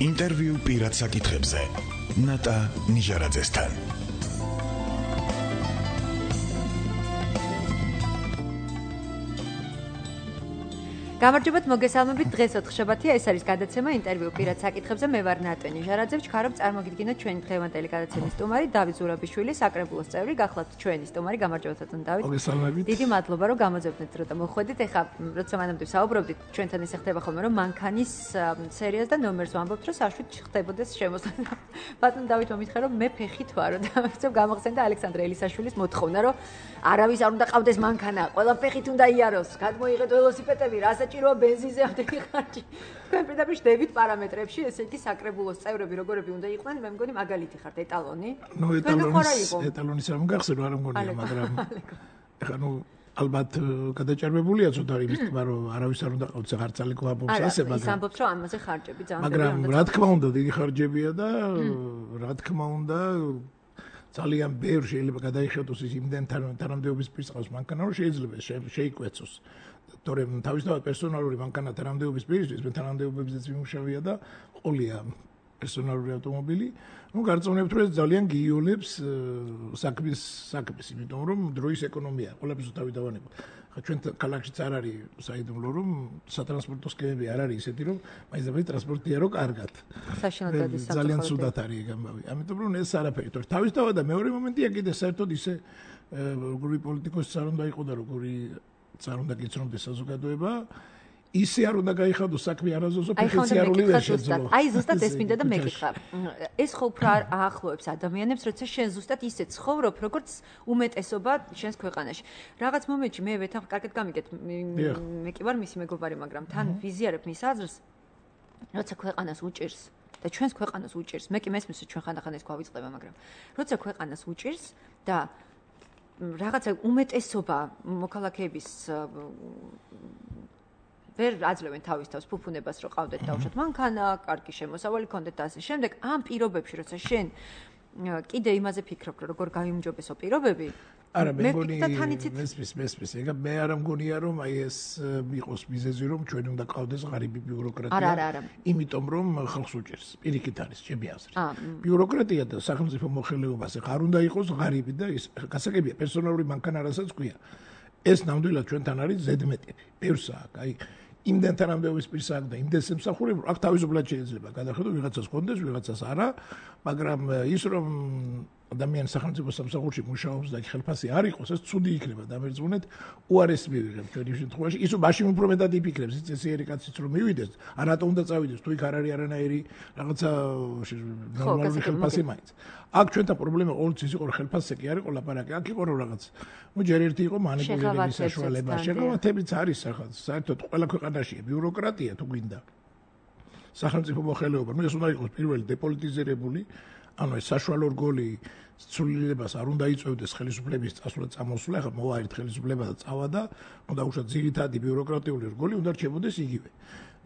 ინტერვიუ პირად საკითხებზე ნატა ნიჟარაძესთან. გამარჯობათ, მოგესალმებით. დღეს 4 შაბათია, ეს არის გადაცემა ინტერვიუ პირად საკითხებზე. მე ვარ ნატა ნიჟარაძე. ვჩქარობ წარმოგიდგინოთ ჩვენი დღევანდელი გადაცემის სტუმარი დავით ზურაბიშვილი, საკრებულოს წევრი, გახლავთ ჩვენი სტუმარი. გამარჯობათ, დავით. მოგესალმებით. დიდი მადლობა, რომ გამოძებნეთ დროთა მოხვედით. ეხლა როცა მანამდე საუბრობდით, ჩვენთან ისე ხდება ხოლმე, რომ მანქანის სერიას და ნომერს ვამბობთ, რომ საშვით ხდებოდეს შემოსვლა. ბატონ დავით, მომითხარ, რომ მე ფეხით ვარ და ვცებ გამახსენდა ალექსანდრე ელისაშვილის მოთხოვნა, რომ არავის არ უნდა ყავდეს მანქანა, ყველა ფეხით უნდა იაროს, გადმოიღეთ ველოსიპედები, საჭიროა ბენზინზე ამდენი ხარჯი. თქვენ პირდაპირ შევდებით პარამეტრებში, ესე იგი საკრებულოს წევრები როგორები უნდა იყვნენ, მე მგონი მაგალითი ხართ ეტალონი. ნუ ეტალონის არ მგახსენო, არ მგონია, მაგრამ ეხლა ნუ ალბათ გადაჭარბებულია ცოტა იმის თქმა, რომ არავის არ უნდა ყავდეს ხარცალი გვაბობს ასე, მაგრამ ის ამბობს, რომ ამაზე ხარჯები ძალიან მაგრამ რა თქმა უნდა, დიდი ხარჯებია და რა თქმა უნდა ძალიან ბევრ შეიძლება გადაიხადოს ის იმდენთან თანამდებობის პირს მანქანა, რომ შეიძლება შეიკვეცოს. თორემ თავისთავად პერსონალური მანქანა თანამდებობის პირისთვის მე თანამდებობებზეც ვიმუშავია და ყოლია პერსონალური ავტომობილი. ნუ გარწმუნებთ, რომ ეს ძალიან გიოლებს საქმეს, იმიტომ რომ დროის ეკონომია, ყველაფერს თავი დავანებო. ხა ჩვენ ქალაქშიც არ არის საიდუმლო, რომ სატრანსპორტო სქემები არ არის ისეთი, რომ მაინც ტრანსპორტია რო კარგად. საშინლად დადის საფრთხე. ძალიან ცუდად არის ეგ ამბავი. ამიტომ რომ ეს არაფერი, თორე თავისთავად და მეორე მომენტია კიდე საერთოდ ისე როგორი პოლიტიკოსიც არ უნდა იყო და როგორი არ უნდა გიცნობდეს საზოგადოება, ისე არ უნდა გაიხადოს საქმე არაზუსტო ფინანსიური ვერ შეძლო. აი ზუსტად ეს მინდა და მეკითხა. ეს ხო უფრო აახლოებს ადამიანებს, როცა შენ ზუსტად ისე ცხოვრობ, როგორც უმეტესობა შენს ქვეყანაში. რაღაც მომენტში მე ვეთანხ კარგად გამიგეთ, მე კი ვარ მისი მეგობარი, მაგრამ თან ვიზიარებ მის აზრს, როცა ქვეყანას უჭირს და ჩვენს ქვეყანას უჭირს. მე კი მესმის, რომ ჩვენ ხანდახან ეს გვავიწყდება, მაგრამ როცა ქვეყანას უჭირს და რაღაცა უმეტესობა მოქალაქეების ვერ აძლევენ თავის თავს ფუფუნებას, რომ ყავდეთ დავუშვათ მანქანა, კარგი შემოსავალი ქონდეთ და ასე შემდეგ. ამ პირობებში, როცა შენ კიდე იმაზე ფიქრობ, რომ როგორ გაიმჯობესო პირობები, არა მე მგონი მესმის, ეგ მე არ მგონია რომ აი ეს იყოს მიზეზი, რომ ჩვენ უნდა ყავდეს ღარიბი ბიუროკრატია. არა. იმიტომ რომ ხალხს უჭერს. პირიქით არის ჩემი აზრით. ბიუროკრატია და სახელმწიფო მოხელეობას არ უნდა იყოს ღარიბი და ის გასაგებია პერსონალური მანქანა რასაც ქვია. ეს ნამდვილად ჩვენთან არის ზედმეტი. ბევრს აქვს, აი იმდენ თანამდებობის პირს აქვს და იმდენ სამსახურებს აქ თავისუფლად შეიძლება გადახედო ვიღაცას კონდეს, ვიღაცას არა, მაგრამ ის რომ ადამიანის სახელმწიფო სამსახურში მუშაობს და ხელფასი არ იყოს, ეს ცუდი იქნება დამერწმუნეთ, უარესი მივიღებ ჩვენი შემთხვევაში. ის მაშინ უფრო მეტად იფიქრებს, ის წესიერი კაციც რომ მივიდეს, არათო უნდა წავიდეს, თუ იქ არ არის არანაირი რაღაცა ნორმალური ხელფასი მაინც. აქ ჩვენთან პრობლემა ყოველთვის ის იყო, რომ ხელფასზე კი არის ყოლაპარაკი, აქ იყო რომ რაღაც ნუ ჯერ ერთი იყო მანიპულირების საშუალება, შეღავათებიც არის რაღაც, საერთოდ ყველა ქვეყანაშია ბიუროკრატია თუ გვინდა. სახელმწიფო მოხელეობა, ნუ ეს უნდა იყოს პირველი დეპოლიტიზირებული, ანუ ეს საშუალო რგოლი ცვლილებას არ უნდა იწევდეს ხელისუფლების წასვლა წამოსვლა, ახლა მოვაერთ ხელისუფლება და წავა და უნდა უშოთ ძირითადი ბიუროკრატიული რგოლი უნდა რჩებოდეს იგივე.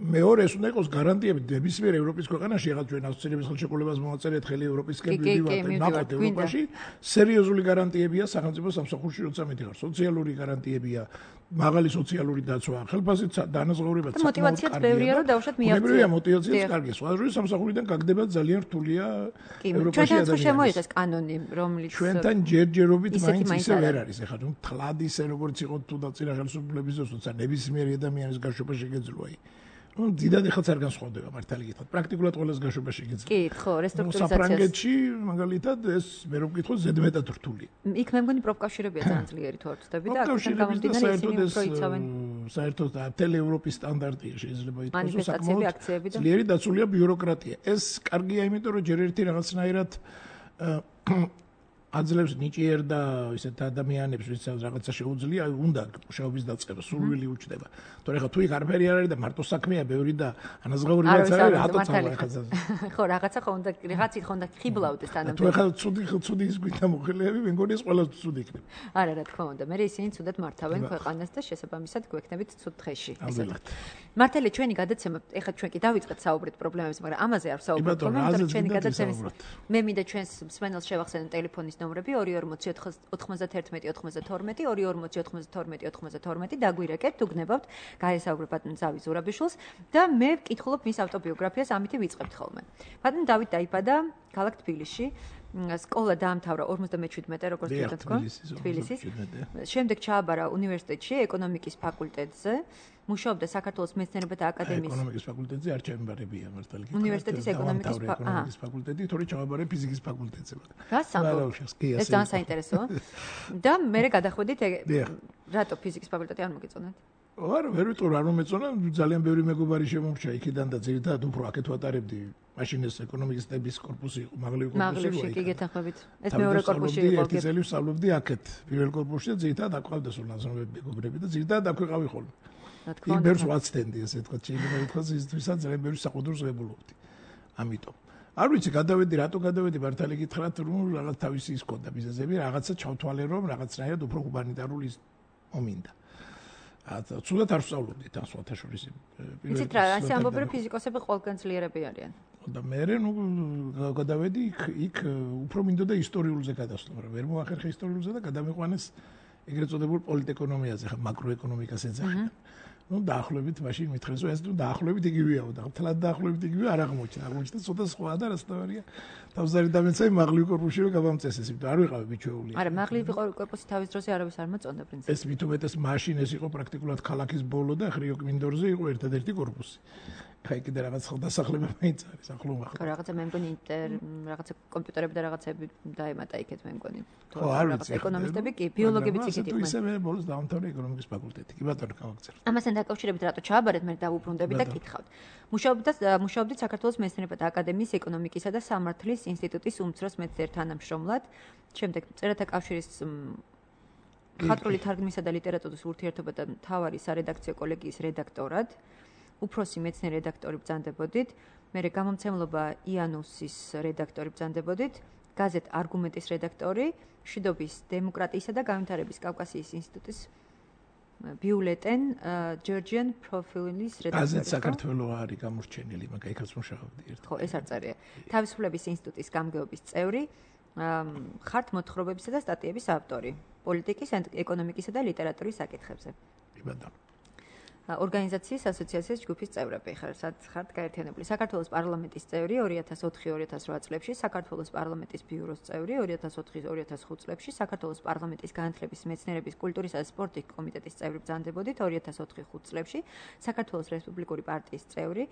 მეორე ეს უნდა იყოს გარანტიები ნებისმიერ ევროპის ქვეყანაში, ახლა ჩვენ ასოცირების ხელშეკრულებას მოვაწერეთ ხელი ევროპისკენ მივდივართ ევროპაში, სერიოზული გარანტიებია სახელმწიფო სამსახურში, როცა მიდიხარ, სოციალური გარანტიებია, მაღალი სოციალური დაცვა, ხელფასი დანაზღაურება, მოტივაციაც ბევრია, რომ დავუშვათ მიაღწიოს. ბევრია მოტივაციაც კარგი, სხვა შორის სამსახურიდან გაგდება ძალიან რთულია ევროპაში ადამიანს. ჩვენთან შემოიღეს კანონი, რომლის ჩვენთან ჯერჯერობით მაინც ისე ვერ არის, ახლა თუ თლად ისე როგორც იყო თუ და წინა ხელისუფლების დროს, თუმცა ნებისმიერი ადამიანის გაშვება შეგეძლო აი. ნუ დიდად ეხაც არ განსხვავდება მართალი გითხრათ. პრაქტიკულად ყველას გაშვება შეგეძლო. კი, ხო, რესტრუქტურიზაციას. საფრანგეთში მაგალითად ეს მე რომ ვკითხო ზედმეტად რთული. იქ მე მგონი პროფკავშირებია ძალიან ძლიერი თუ არ ვწდები და აქედან გამომდინარე ისინი უფრო იცავენ. საერთოდ მთელი ევროპის სტანდარტია შეიძლება ითქვას, რომ მანიფესტაციები, აქციები და ძლიერი დაცულია ბიუროკრატია. ეს კარგია იმიტომ, რომ ჯერ ერთი რაღაცნაირად აძლევს ნიჭიერ და ისეთ ადამიანებს, ვისაც რაღაცა შეუძლია, უნდა მუშაობის დაწყება, სურვილი უჩნდება. თორე ხა თუ იქ არაფერი არ არის და მარტო საქმეა ბევრი და ანაზღაურებაც არ არის, რატო წავა ხაზაზე. ხო, რაღაცა ხო უნდა რაღაცით ხო უნდა ხიბლავდეს თანამდებობა. თუ ხა ცუდი ის გვითა მოხელეები, მე მგონი ეს ყველა ცუდი იქნება. არა, რა თქმა უნდა, მე ისინი ცუდად მართავენ ქვეყანას და შესაბამისად გვექნებით ცუდ დღეში. მართალია ჩვენი გადაცემა, ეხლა ჩვენ კი დავიწყეთ საუბრით პრობლემებზე, მაგრამ ამაზე არ ვსაუბრობთ, მაგრამ ჩვენი გადაცემის მე მინდა ჩვენს მსმენელს შევახსენო ტელეფონის ნომრები 240-91-92-92 დაგვირეკეთ, თუ გნებავთ, გაესაუბრებთ ბატონ დავით ზურაბიშვილს და მე ვკითხულობ მის ავტობიოგრაფიას, ამით ვიწყებთ ხოლმე. ბატონ დავით დაიბადა ქალაქ თბილისში. სკოლა დაამთავრა 57-ე, როგორც თქვენ, თბილისის. შემდეგ ჩააბარა უნივერსიტეტში, ეკონომიკის ფაკულტეტზე. მუშაობდა საქართველოს მეცნიერებათა აკადემიის ეკონომიკის ფაკულტეტზე არ ჩაემბარებია მართალი. უნივერსიტეტის ეკონომიკის ფაკულტეტი, თორე ჩააბარე ფიზიკის ფაკულტეტზე. ეს ძალიან საინტერესოა. და მე გადახვედით რატო ფიზიკის ფაკულტეტი არ მოგეწონათ? არა, ვერ ვიტყვი, არ მომეწონა, ძალიან ბევრი მეგობარი შემომრჩა იქიდან და ძირითადად უფრო აქეთ ვატარებდი. მაშინ ეს ეკონომისტების კორპუსი იყო, მაღლივი კორპუსი იყო. კი გეთანხმებით. ეს მეორე კორპუსი იყო. ერთი წელი ვსწავლობდი აქეთ, პირველ კორპუსში და ძირითადად აქ ყავდა სულ ნაზრობები მეგობრები და ძირითადად აქ ვიყავი ხოლმე. იმ ბევრს ვაცდენდი, ასე თქვა, შეიძლება ითქვას ისთვისაც ძალიან ბევრი საყუდროს ღებულობდი. ამიტომ არ ვიცი, გადავედი, რატო გადავედი, მართალი გითხრათ, რომ რაღაც თავისი ის ქონდა ბიზნესები, რაღაცა ჩავთვალე, რომ რაღაცნაირად უფრო ჰუმანიტარული მომინდა. ცუდად არ ვსწავლობდი თან სხვათა შორის. იცით რა, ასე ამბობენ, რომ ფიზიკოსები ყველგან ძლიერები არიან. და მე გადავედი იქ უფრო მინდოდა ისტორიულზე გადასვლა, მაგრამ ვერ მოახერხე ისტორიულზე და გადამიყვანეს ეგრეთ წოდებულ პოლიტეკონომიაზე, ხა მაკროეკონომიკას ეძახიან. დაახლოებით მაშინ მითხრეს, რომ ეს დაახლოებით იგივეა და თლად დაახლოებით იგივე არ აღმოჩნდა. აღმოჩნდა ცოტა სხვაა და რასთავარია. თავზარი დამეცაი მაღლივი კორპუსში რომ გავამწესეს, იმიტომ არ ვიყავი მიჩვეული. არა, მაღლივი კორპუსი თავის დროზე არავის არ მოწონდა პრინციპში. ეს მით უმეტეს მაშინ ეს იყო პრაქტიკულად ქალაქის ბოლო და ხრიოკ მინდორზე იყო ერთადერთი კორპუსი. ხა კიდე რაღაც ხელდასახლება მეიწარის ახლო მახლა. რაღაცა მე მგონი რაღაცა კომპიუტერები და რაღაცები დაემატა იქეთ მე მგონი. ხო, არ ვიცი. ეკონომისტები კი, ბიოლოგებიც იქით იყვნენ. ისე მე ბოლოს დავამთავრე ეკონომიკის ფაკულტეტი. კი ბატონო, გავაგზავნე. ამასთან დაკავშირებით რატო ჩააბარეთ, მე დავუბრუნდები და გითხავთ. მუშაობდით საქართველოს მეცნიერებათა აკადემიის ეკონომიკისა და სამართლის ინსტიტუტის უმცროს მეცნიერ თანამშრომლად, შემდეგ წერათა კავშირის მხატვრული თარგმნისა და ლიტერატურის ურთიერთობათა მთავარი სარედაქციო კოლეგიის რედაქტორად. უფროსი მეცნიერი რედაქტორი ბრძანდებოდით, მერე გამომცემლობა იანუსის რედაქტორი ბრძანდებოდით, გაზეთ არგუმენტის რედაქტორი, მშვიდობის დემოკრატიისა და განვითარების კავკასიის ინსტიტუტის ბიულეტენ ჯორჯიან პროფილის რედაქტორი. გაზეთ საქართველო არის გამორჩენილი, მაგრამ იქაც მუშაობდი ერთ. ხო, ეს არ წერია. თავისუფლების ინსტიტუტის გამგეობის წევრი, ხართ მოთხრობებისა და სტატიების ავტორი, პოლიტიკის, ეკონომიკისა და ლიტერატურის საკითხებზე. კი ბატონო. ორგანიზაციის ასოციაციის ჯგუფის წევრები ხართ გაერთიანებული. საქართველოს პარლამენტის წევრი 2004-2008 წლებში, საქართველოს პარლამენტის ბიუროს წევრი 2004-2005 წლებში, საქართველოს პარლამენტის განათლების, მეცნიერების, კულტურისა და სპორტის კომიტეტის წევრი ბრძანდებოდით 2004-2005 წლებში, საქართველოს რესპუბლიკური პარტიის წევრი,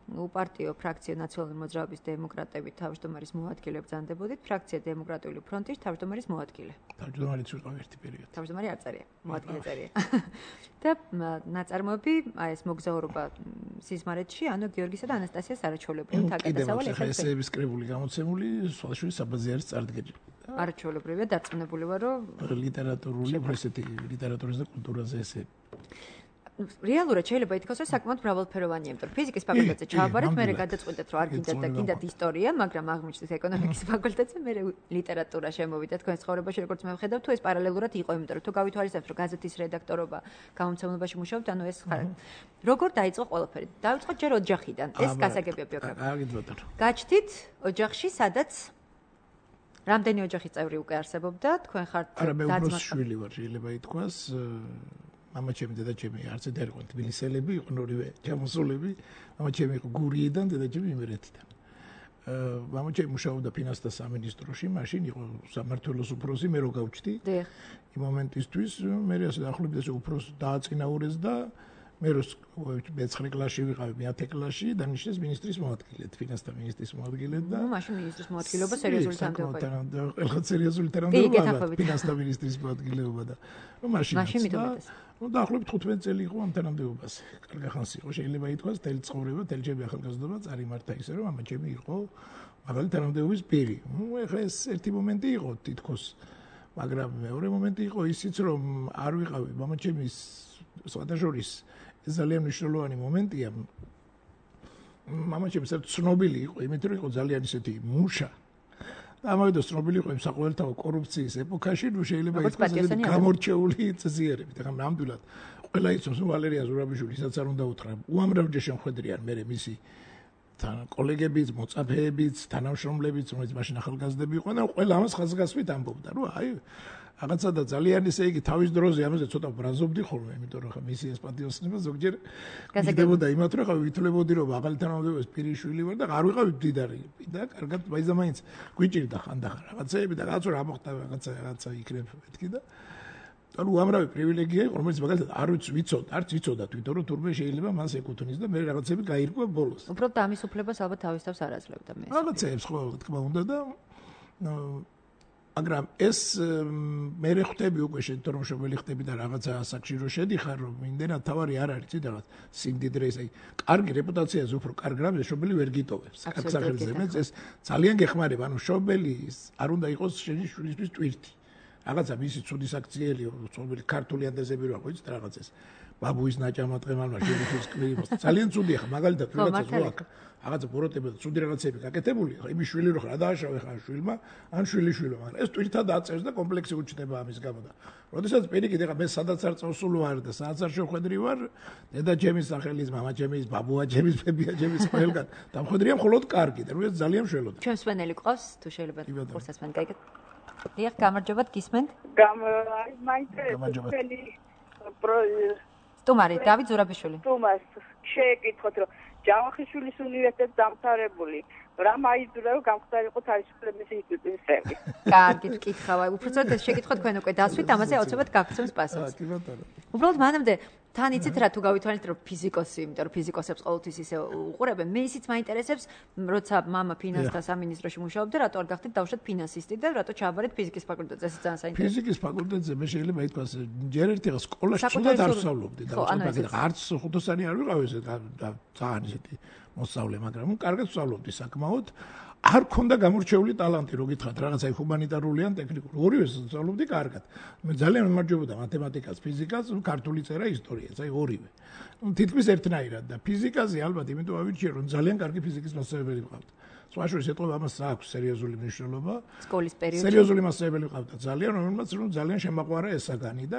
უპარტიო ფრაქცია ნაციონალური მოძრაობის დემოკრატები თავმჯდომარის მოადგილე ბრძანდებოდით, ფრაქცია დემოკრატიული ფრონტის თავმჯდომარის მოადგილე. თავმჯდომარიც ვიყავ ერთი პერიოდი. თავმჯდომარე არ წერია, მოადგილე წერია. და ნაწარმოები, აი ეს მოგზაურობა სიზმარეთში, ანუ გიორგისა და ანასტასიას არაჩვეულებრივი თაგადასავალი ესეების კრებული გამოცემული, სხვადასხვა საბაზი არის წარდგენილი. არაჩვეულებრივია, დარწმუნებული ვარ, რომ ლიტერატურული, ესეთი ლიტერატურის და კულტურაზე ესე რეალურად შეიძლება ითქვას, რომ საკმაოდ მრავალფეროვანია, იმიტომ რომ ფიზიკის ფაკულტეტზე ჩააბარეთ, მე გადაწყვეტეთ, რომ არ გინდათ და გინდათ ისტორია, მაგრამ აღმოჩნდეთ ეკონომიკის ფაკულტეტზე, მე ლიტერატურა შემოვიდა თქვენს ცხოვრებაში, როგორც მე ვხედავ, თუ ეს პარალელურად იყო, იმიტომ რომ თუ გავითვალისწინებთ, რომ გაზეთის რედაქტორობა გამომცემლებაში მუშაობთ, ანუ ეს როგორ დაიწყო ყველაფერი? დაიწყო ჯერ ოჯახიდან, ეს გასაგებია ბიოგრაფია. გაჩდით ოჯახში, სადაც რამდენი ოჯახის წევრი უკვე არსებობდა, თქვენ ხართ არა, მე უბრალოდ შვილი ვარ, შეიძლება ითქვას. მამა ჩემი დედა ჩემი არც ერთ არ იყო თბილისელები, იყვნენ ორივე ჩამოსულები. მამა ჩემი იყო გურიიდან, დედა ჩემი იმერეთიდან. მამა ჩემი მუშაობდა ფინანსთა სამინისტროში, მაშინ იყო სამმართველოს უფროსი, მე რო გავჩდი. იმ მომენტისთვის მე ასე დაახლოებით ესე უფროს დააწინაურეს და მე რო მე-9 კლასში ვიყავი, მე-10 კლასში დანიშნეს მინისტრის მოადგილედ, ფინანსთა მინისტრის მოადგილედ და მაშინ მინისტრის მოადგილეობა სერიოზული თანამდებობა. ყველა სერიოზული თანამდებობა, ფინანსთა მინისტრის მოადგილეობა და მაშინ მიდუმეტეს. დაახლოებით 15 წელი იყო ამ თანამდებობაზე. კარგი ხანს იყო, შეიძლება ითქვას, თელი ცხოვრება, თელი ჩემი ახალგაზრდობა წარიმართა ისე, რომ მამა ჩემი იყო მაგალი თანამდებობის პირი. ეხლა ეს ერთი მომენტი იყო თითქოს, მაგრამ მეორე მომენტი იყო ისიც, რომ არ ვიყავი მამა ჩემის სხვადასხვის ეს ძალიან მნიშვნელოვანი მომენტია. მამა ჩემი ცნობილი იყო, იმით რომ იყო ძალიან ისეთი მუშა. და ამავდროულად ცნობილი იყო იმ საყოველთაო კორუფციის ეპოქაში, ნუ შეიძლება ითქვას ესეთი გამორჩეული წესიერებით. ახლა ნამდვილად ყველა იცავს, ვალერია ზურაბიშვილი, ისაც არ უნდა უთხრა, უამრავჯერ შემხედრიან მე მისი კოლეგებიც, მოწაფეებიც, თანამშრომლებიც, რომელიც მაშინ ახალგაზრდები იყვნენ და ყველა ამას ხაზგასმით ამბობდა, რომ აი რაღაცა და ძალიან ისე იგი თავის დროზე ამაზე ცოტა ბრაზობდი ხოლმე, იმიტომ რომ ხა მისიას პატიოსნება ზოგჯერ გიდებოდა იმათ რომ ხა ვითვლებოდი რომ ახალი თანამდებობის პირიშვილი ვარ და არ ვიყავი მდიდარი და კარგად მაინც გვიჭირდა ხანდახან რაღაცეები და რაღაცა რა მოხდა რაღაცა იქნებ მეთქი და ანუ უამრავი პრივილეგია იყო რომელიც მაგალითად არც ვიცოდა თვითონ რომ თურმე შეიძლება მას ეკუთვნის და მე რაღაცები გაირკვა ბოლოს. უბრალოდ ამის უფლებას ალბათ თავის თავს არ აძლევდა მე. რაღაცეებს ხო თქმა უნდა და მაგრამ ეს მე ხვდები უკვე შედით რომ მშობელი ხდები და რაღაცა ასაკში რო შედიხარ რომ იმდენად თავარი არ არის ცი რაღაც სიმდიდრე ეს აი კარგი რეპუტაციაზე უფრო კარგ რამზე მშობელი ვერ გიტოვებს კაცსახელზე მე ეს ძალიან გეხმარება ანუ მშობელი არ უნდა იყოს შენი შვილისთვის ტვირთი რაღაცა მისი ცუდი საქციელი მშობელი ქართული ანდეზები რო აქვს და რაღაც ეს ბაბუის ნაჭამატყემალმა შვილის კლიმოს ძალიან ცუდია ხა მაგალითად რაღაცა რო აქ რაღაცა ბოროტები და ცუდი რაღაცები გაკეთებული ხა იმის შვილი რო ხარ დააშავე ხარ შვილმა ან შვილიშვილო მაგრამ ეს ტვირთად აწევს და კომპლექსი უჩნდება ამის გამო და როდესაც პირიქით ეხა მე სადაც არ წავსულ ვარ და სადაც არ შევხვედრი ვარ დედა ჩემის სახელის მამა ჩემის ბაბუა ჩემის ბებია ჩემის ყველგან დამხვედრია მხოლოდ კარგი და როდესაც ძალიან მშველოდა ჩვენ სვენელი ყავს თუ შეიძლება ხურსასმენ გაიგეთ დიახ გამარჯობათ გისმენთ სტუმარი დავით ზურაბიშვილი სტუმარს შეეკითხოთ რომ ჯავახიშვილის უნივერსიტეტის დამთავრებული რა მაიძულა რომ გამხდარიყო თავისუფლების ინსტიტუტი. კარგი კითხავ, უბრალოდ ეს შეკითხვა თქვენ უკვე დასვით, ამაზე აუცილებლად გაგცემს პასუხს. კი ბატონო. უბრალოდ მანამდე თან იცით რა თუ გავითვალეთ რომ ფიზიკოსი, იმიტომ რომ ფიზიკოსებს ყოველთვის ისე უყურებენ, მე ისიც მაინტერესებს, როცა მამა ფინანსთა სამინისტროში მუშაობდა, რატო არ გახდით დავუშვათ ფინანსისტი და რატო ჩააბარეთ ფიზიკის ფაკულტეტზე, ეს ძალიან საინტერესოა. ფიზიკის ფაკულტეტზე მე შეიძლება ითქვას, ჯერ ერთი სკოლაში ცუდად არ ვსწავლობდი და არც ხუთოსანი არ ვიყავ ესე და ძალიან ისეთი მოსწავლე, მაგრამ კარგად ვსწავლობდი საკმაოდ. არ ქონდა გამორჩეული ტალანტი, რო გითხრათ, რაღაცა ჰუმანიტარული ან ტექნიკური. ორივეს ვსწავლობდი კარგად. მე ძალიან მემარჯვებოდა მათემატიკას, ფიზიკას, ქართული წერა, ისტორიას, აი ორივე. თითქმის ერთნაირად და ფიზიკაზე ალბათ იმიტომ ავირჩიე, რომ ძალიან კარგი ფიზიკის მასწავლებელი ვყავდა. სხვა შორის ეთყობა ამას აქვს სერიოზული მნიშვნელობა. სკოლის პერიოდში სერიოზული მასწავლებელი ვყავდა ძალიან, რომელმაც ძალიან შემაყვარა ეს საგანი და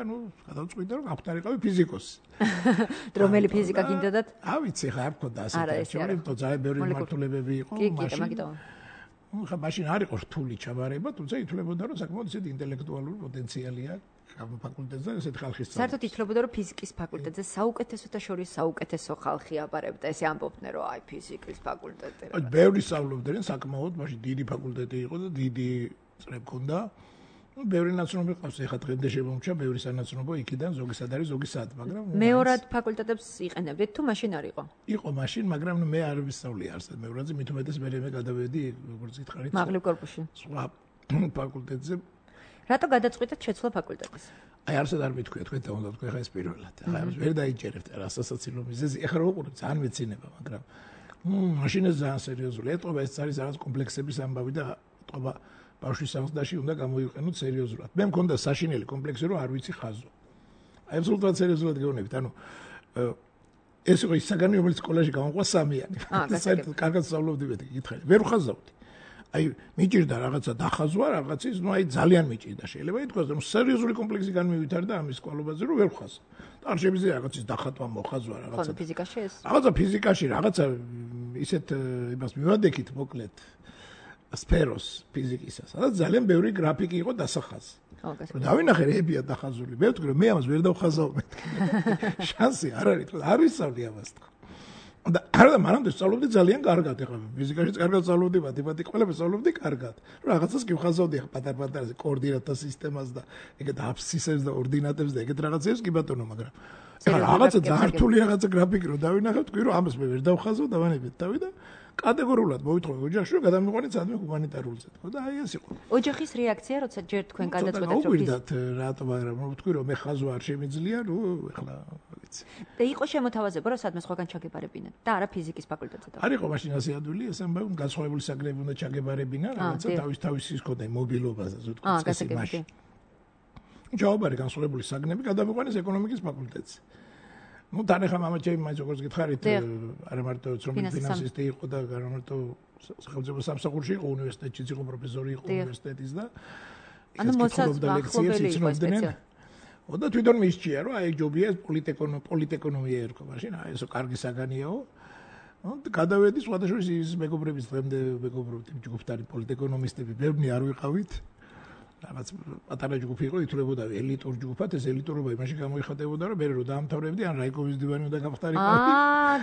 გადავწყვიტე, რომ აღთარიყავი ფიზიკოსი. რომელი ფიზიკა გინდოდათ? ავიცი ხა არ მქონდა ასეთი არჩევანი, თუმცა ძალიან ბევრი მმართველებები იყო მაშინ. ხა მაშინ არ იყო რთული ჩაბარება, თუმცა ითვლებოდა, რომ საკმაოდ ისეთი ინტელექტუალური პოტენციალი აქვს ამ ფაკულტეტზე, ესეთი ხალხის წამყვანი. საერთოდ ითვლებოდა, რომ ფიზიკის ფაკულტეტზე საუკეთესოთა შორის საუკეთესო ხალხი აბარებდა, ესე ამბობდნენ, რომ აი ფიზიკის ფაკულტეტი. აი ბევრი სწავლობდნენ საკმაოდ, მაშინ დიდი ფაკულტეტი იყო და დიდი წრე მქონდა. ბევრი ნაცნობი ყავს, ეხლა დღემდე შემომჩა ბევრი სანაცნობო იქიდან ზოგისად არის ზოგისად, მაგრამ მეორად ფაკულტეტებს იყენებდით თუ მაშინ არ იყო? იყო მაშინ, მაგრამ მე არ ვისწავლე არსად მეორადზე, მით უმეტეს მე გადავედი, როგორც გითხარით, მაღლივ კორპუსში. სხვა ფაკულტეტზე. რატო გადაწყვიტეთ შეცვლა ფაკულტეტის? აი არსად არ მithქვია, თქვენ და უნდა თქვენ ხა ეს პირველად. ახლა ამას ვერ დაიჭერებთ რასასაცილო მიზეზი. ეხლა რო უყურებთ, ძალიან მეცინება, მაგრამ მაშინ ეს ძალიან სერიოზული. ეტყობა ეს არის რაღაც კომპლექსების ამბავი და ეტყობა ბავშვის სახლდაში უნდა გამოიყენოთ სერიოზულად. მე მქონდა საშინელი კომპლექსი, რომ არ ვიცი ხაზო. აი აბსოლუტურად სერიოზულად გეუბნებით. ანუ ეს იყო ის საგანი, რომელიც სკოლაში გამოყვა სამიანი. საერთოდ კარგად სწავლობდი მე გითხარი. ვერ ვხაზავდი. აი მიჭირდა რაღაცა დახაზვა, რაღაცის, ну აი ძალიან მიჭირდა. შეიძლება ითქვას, რომ სერიოზული კომპლექსი განმევითარდა ამის სკოლობაზე, რომ ვერ ვხაზავ. არ შემიძლია რაღაცის დახატვა მოხაზვა რაღაცა. ხო, ფიზიკაში ეს. რაღაცა ფიზიკაში, რაღაცა ისეთ იმას მივადექით მოკლედ. სფეროს ფიზიკისა, სადაც ძალიან ბევრი გრაფიკი იყო დასახაზი. რომ დავინახე რებია დახაზული. მე ვთქვი, რომ მე ამას ვერ დავხაზავ მეთქი. შანსი არ არის, თქო, არ ვისწავლი ამას თქო. და არა და მანამდე სწავლობდი ძალიან კარგად, ეხლა ფიზიკაშიც კარგად სწავლობდი, მათემატიკა ყველაფერს სწავლობდი კარგად. რომ რაღაცას კი ვხაზავდი ახლა პატარ-პატარაზე კოორდინატთა სისტემას და ეგეთ აბსცისებს და ორდინატებს და ეგეთ რაღაცებს კი ბატონო, მაგრამ ეხლა რაღაცა ძალიან რთული რაღაცა გრაფიკი რომ დავინახე, ვთქვი, რომ ამას მე ვერ დავხაზავ, დავანებეთ თავი და კატეგორიულად მოვიტყოდი ოჯახში, რომ გადამიყვანეთ სადმე ჰუმანიტარულზე, თქო და აი ეს იყო. ოჯახის რეაქცია, როცა ჯერ თქვენ გადაწყვეტეთ, რომ უგვირდათ რატომ, მაგრამ ვთქვი, რომ მე ხაზვა არ შემიძლია, ნუ ეხლა ვიცი. და იყო შემოთავაზება, რომ სადმე სხვაგან ჩაგებარებინათ და არა ფიზიკის ფაკულტეტზე. არ იყო მაშინ ასე ადვილი, ეს ამბავი განსხვავებული საგნები უნდა ჩაგებარებინა, რაღაცა თავის ის ქონდა მობილობაზე, ზუსტად წესი მაშინ. ჯაობარი განსხვავებული საგნები გადამიყვანეს ეკონომიკის ფაკულტეტზე. ну თან ახლა მამა ჩემი მაინც როგორც გითხარით არა მარტო ცნობილი ფინანსისტი იყო და არა მარტო სახელმწიფო სამსახურში იყო უნივერსიტეტში იყო პროფესორი იყო უნივერსიტეტის და ანუ მოსახლეობელი იყო სპეციალისტი. და თვითონ მისჭია რომ აი ჯობია პოლიტეკონომია ერქვა მაშინ აი ესო კარგი საგანიაო გადავედი სხვადასხვა ის მეგობრების დღემდე მეგობრობთ ჯგუფთან პოლიტეკონომისტები ბევრი არ ვიყავით რაღაც პატარა ჯგუფი იყო ითვლებოდა ელიტურ ჯგუფად ეს ელიტურობა იმაში გამოიხატებოდა რომ მე რო დაამთავრებდი ან რაიკოვის დივანი უნდა გავხდარიყავი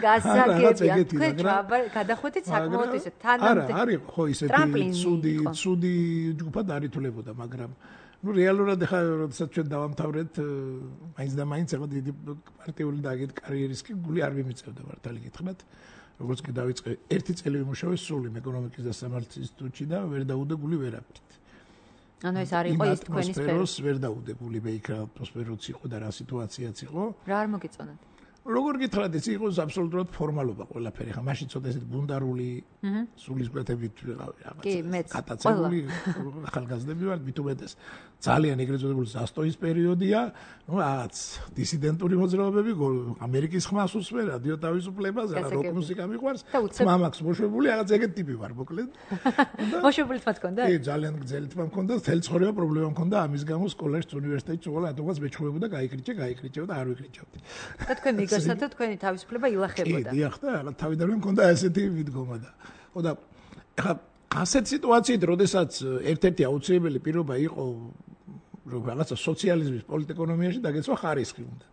გასაგებია თქვენ გადახვედით საკმაოდ ისე თანამდე არა არის ხო ისეთი ცუდი ჯგუფად არ ითვლებოდა მაგრამ ну რეალურად ხა როდესაც ჩვენ დავამთავრეთ მაინც და მაინც ახლა დიდი პარტიული და აგეთ კარიერისკი გული არ მიმიწევდა მართალი გითხრათ როგორც კი დავიწყე ერთი წელი ვიმუშავე სული ეკონომიკის და სამართლის ინსტიტუტში და ვერ დაუდე გული ვერაფრით ანუ ეს არ იყო ის თქვენი სფერო ვერ დაუდე გული მე იქ რა ატმოსფეროც იყო და რა სიტუაციაც იყო რა არ მოგეწონათ როგორ გითხრათ ეს იყო აბსოლუტურად ფორმალობა ყველაფერი ხა მაშინ ცოტა ესეთ ბუნდარული სულის გვეთებით ვიყავი რაღაც კატაცებული ახალგაზრდები ვართ მithumetes ძალიან ეგრეთ წოდებული ზასტოის პერიოდია ну რაღაც დისიდენტური მოძრაობები ამერიკის ხმას უსმე რადიო თავისუფლებას რა როკ მუსიკა მიყვარს მამაკს მოშვებული რაღაც ეგეთ ტიპი ვარ მოკლედ მოშვებული თმა თქონდა კი ძალიან გძელი თმა მქონდა თელ ცხოვრება პრობლემა მქონდა ამის გამო სკოლაში უნივერსიტეტში უყოლა რატომაც მეჩხუბებოდა გაიკრიჭე და არ ვიკრიჭავდი და თქვენ მიგასა და თქვენი თავისუფლება ილახებოდა კი დიახ და თავიდანვე მქონდა ესეთი მიდგომა და ხო და ხა ასეთ სიტუაციით როდესაც ერთ-ერთი აუცილებელი პირობა იყო რომ რაღაცა სოციალიზმის პოლიტეკონომიაში დაგეცვა ხარისხი უნდა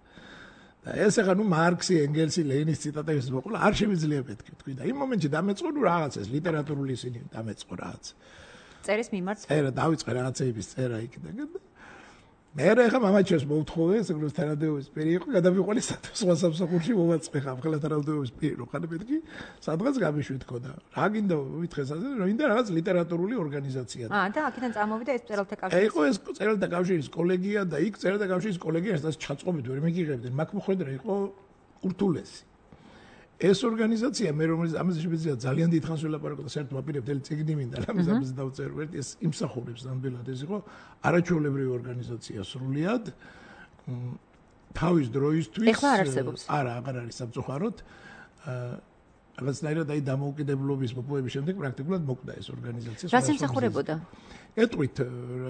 და ეს ახლა ნუ მარქსი ენგელსი ლენის ციტატების მოყოლა არ შემიძლია მეთქი თქვი და იმ მომენტში დამეწყო ნუ რაღაც ეს ლიტერატურული ისინი დამეწყო რაღაც წერის მიმართ წერა დავიწყე რაღაცეების წერა იქიდან მე ახლა მამაჩეს მოვთხოვე საგროს თანადოების პირი იყო გადავიყვანე სხვა სამსახურში მოვაწყე ხალხთა თანადოების პირი რო ხარ მეთქი სადღაც გამიშვით ხო და რა გინდა ვითხრეს ასე რომ ინდა რაღაც ლიტერატურული ორგანიზაცია და აქედან წამოვიდა ეს წერალთა კავშირი იყო ეს წერალთა კავშირის კოლეგია და იქ წერალთა კავშირის კოლეგია სადაც ჩაწყობით ვერ მიგიღებდნენ მაგ მოხვედრა იყო ურთულესი ეს ორგანიზაცია მე რომელიც ამაზე შეიძლება ძალიან დიდხანს ვილაპარაკო და საერთოდ ვაპირებ მთელი წიგნი მინდა ამაზე დავწერო ერთი ეს იმსახურებს ნამდვილად ეს იყო არაჩვეულებრივი ორგანიზაცია სრულიად თავის დროისთვის ეხლა არ არსებობს არა აღარ არის სამწუხაროდ რაღაცნაირად აი დამოუკიდებლობის მოპოვების შემდეგ პრაქტიკულად მოკვდა ეს ორგანიზაცია რა სიმსახურებოდა ეტყვით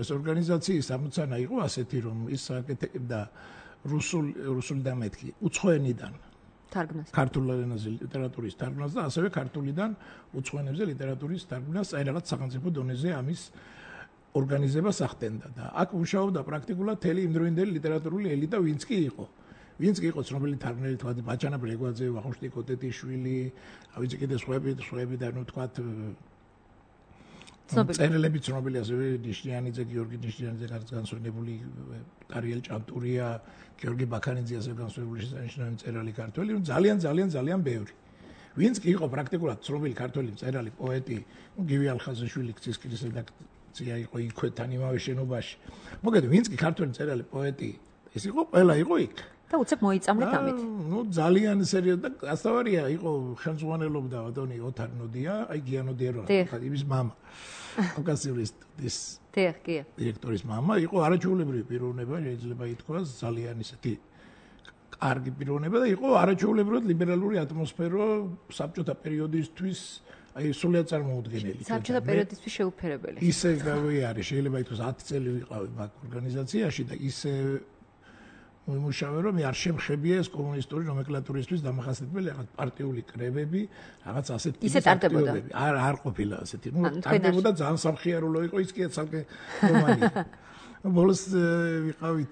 ეს ორგანიზაციის ამოცანა იყო ასეთი რომ ის აკეთებდა რუსული და მეთქი უცხოენიდან თარგმნას ქართულ ენაზე ლიტერატურის თარგმნას და ასევე ქართულიდან უცხოენებზე ლიტერატურის თარგმნას აი რაღაც სახელმწიფო დონეზე ამის ორგანიზებას ახდენდა და აქ მუშაობდა პრაქტიკულად თელი იმდროინდელი ლიტერატურული ელიტა ვინც კი იყო ცნობილი თარგმნელი თქვა ბაჭანა ბრეგვაძე ვახუშტი კოტეტიშვილი ავიცი კიდე სხვები და ნუ თქვა წერილები ცნობილი ასევე ნიშნიანიძე გიორგი ნიშნიანიძე განსვენებული არიელ ჭანტურია გიორგი ბაქანიძე ასევე განსვენებული შესანიშნავი მწერალი ქართველი ძალიან ბევრი ვინც კი იყო პრაქტიკულად ცნობილი ქართველი მწერალი პოეტი გივი ალხაზიშვილი ქცისკრის რედაქცია იყო იქვეთან იმავე შენობაში მოგეთ ვინც კი ქართველი მწერალი პოეტი ეს იყო ყველა იყო იქ და უცებ მოიწამლეთ ამით ნუ ძალიან სერიოზად და ასთავარია იყო ხელმძღვანელობდა ბატონი ოთარ ნოდია აი გიანოდია რა იმის მამა კავკასიური სტუდიის დირექტორის მამა იყო არაჩვეულებრივი პიროვნება შეიძლება ითქვას ძალიან ისეთი კარგი პიროვნება და იყო არაჩვეულებრივად ლიბერალური ატმოსფერო საბჭოთა პერიოდისთვის აი სულიად წარმოუდგენელი საბჭოთა პერიოდისთვის შეუფერებელი ისე არის შეიძლება ითქვას 10 წელი ვიყავი მაგ ორგანიზაციაში და ისე მუშაობ რომ არ შემხებია ეს კომუნისტური ნომენკლატურისთვის დამახასიათებელი რაღაც პარტიული კრებები, რაღაც ასეთ ტიპის არ ყოფილა ასეთი. ნუ ტარდებოდა ძალიან სამხიარულო იყო ის კი ცალკე რომანი. ბოლოს ვიყავით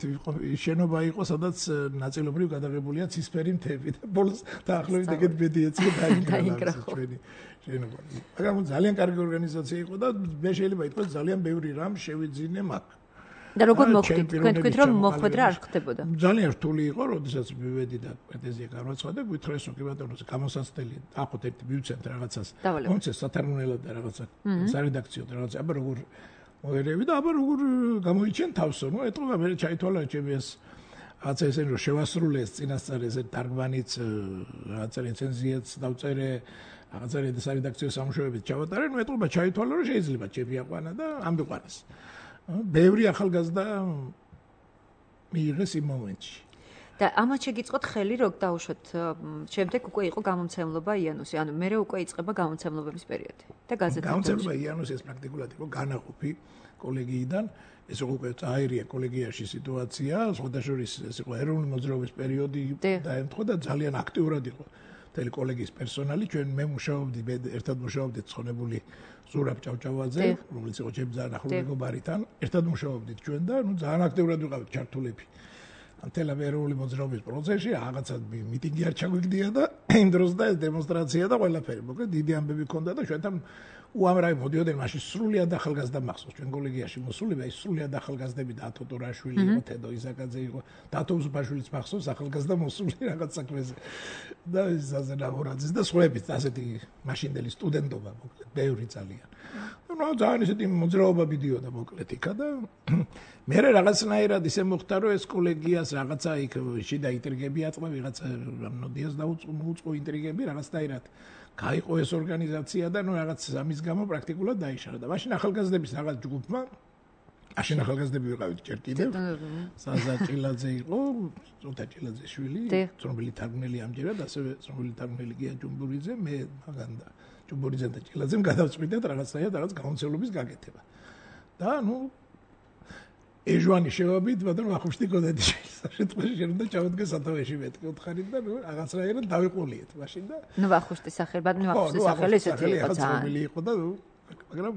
შენობა იყო სადაც ნაწილობრივ გადაღებულია ცისფერი მთები და ბოლოს დაახლოებით ეგეთ ბედი ეცი დაინგრა ჩვენი შენობა. მაგრამ ძალიან კარგი ორგანიზაცია იყო და მე შეიძლება ითქვას ძალიან ბევრი რამ შევიძინე მაგ. და როგორ მოხდით? თქვენ თქვით რომ მოხვედრა არ ხდებოდა. ძალიან რთული იყო, როდესაც მივედი და პრეტენზია განვაცხადა, გითხრეს რომ კი ბატონო, გამოსაცდელი, ახოთ ერთი მივცემთ რაღაცას. მომცეს სათარგმნელად და რაღაცა სარედაქციო და რაღაცა, აბა როგორ მოერევი და აბა როგორ გამოიჩენ თავსო, ნუ ეტყობა მე ჩაითვალა ჩემი ეს რაღაცა ესენი რომ შევასრულე ეს წინასწარ ეს თარგმანიც, რაღაცა რეცენზიაც დავწერე, რაღაცა სარედაქციო სამუშაოებით ჩავატარე, ნუ ეტყობა ჩაითვალა რომ შეიძლება ჩემი აყვანა და ამბიყვანეს. ბევრი ახალგაზრდა მიიღეს იმ მომენტში. და ამათ შეგიწყოთ ხელი რომ დაუშვათ შემდეგ უკვე იყო გამომცემლობა იანუსი, ანუ მერე უკვე იწყება გამომცემლობების პერიოდი და გაზეთი. გამომცემლობა იანუსი ეს პრაქტიკულად იყო განაყოფი კოლეგიიდან, ეს უკვე წაერია კოლეგიაში სიტუაცია, სხვადასხვა ეს იყო ეროვნული მოძრაობის პერიოდი დაემთხვა და ძალიან აქტიურად იყო მთელი კოლეგიის პერსონალი, ჩვენ მე ერთად მუშაობდით ცხონებული ზურაბ ჭავჭავაძე, რომელიც იყო ჩემი ძალიან ახლო მეგობარიდან, ერთად მუშაობდით ჩვენ და ძალიან აქტიურად ვიყავით ჩართულები. Antela ეროვნული მოძრაობის პროცესში რაღაცა მიტინგი არ ჩაგვიგდია და იმ დროს და ეს დემონსტრაცია და ყველაფერი. მოკლედ დიდი ამბები ქონდა და ჩვენთან უამრავი მოდიოდნენ მაშინ სრულიად ახალგაზრდა მახსოვს ჩვენ კოლეგიაში მოსულები აი სრულიად ახალგაზრდები და ათო ტორაშვილი იყო თედო ისაკაძე იყო დათო უსუბაშვილიც მახსოვს ახალგაზრდა მოსული რაღაც საქმეზე და ზაზა ნაბორაძის და სხვაებიც ასეთი მაშინდელი სტუდენტობა მოკლედ ბევრი ძალიან ნუ ძალიან ისეთი მოძრაობა მიდიოდა მოკლედ იქა და მე რაღაცნაირად ისე მოხდა რომ ეს კოლეგიას რაღაცა იქ შიდა ინტრიგები აწყდა ვიღაცა ნოდიას დაუწყო ინტრიგები რაღაცნაირად გაიყო ეს ორგანიზაცია და ნუ რაღაც ამის გამო პრაქტიკულად დაიშალა და მაშინ ახალგაზრდების რაღაც ჯგუფმა მაშინ ახალგაზრდები ვიყავით ჯერ კიდევ საზა ჭილაძე იყო ზოთა ჭილაძის შვილი ცნობილი თარგმნელი ამჯერად ასევე ცნობილი თარგმნელი გია ჯუმბურიძე მე მაგან და ჯუმბურიძე და ჭილაძემ გადავწყვიტეთ რაღაცნაირად რაღაც გამოცდილების გაკეთება და ნუ ეჟვანი შევაბით მაგრამ ახუშტი კოდეთი საშეთქვეში შენ უნდა ჩავდგე სათავეში მეთქე უთხარით და ნუ რაღაცნაირად დავიყოლიეთ მაშინ და ნუ ახუშტის სახელი ბატონო ახუშტის სახელი ესეთი იყო ძალიან იყო და მაგრამ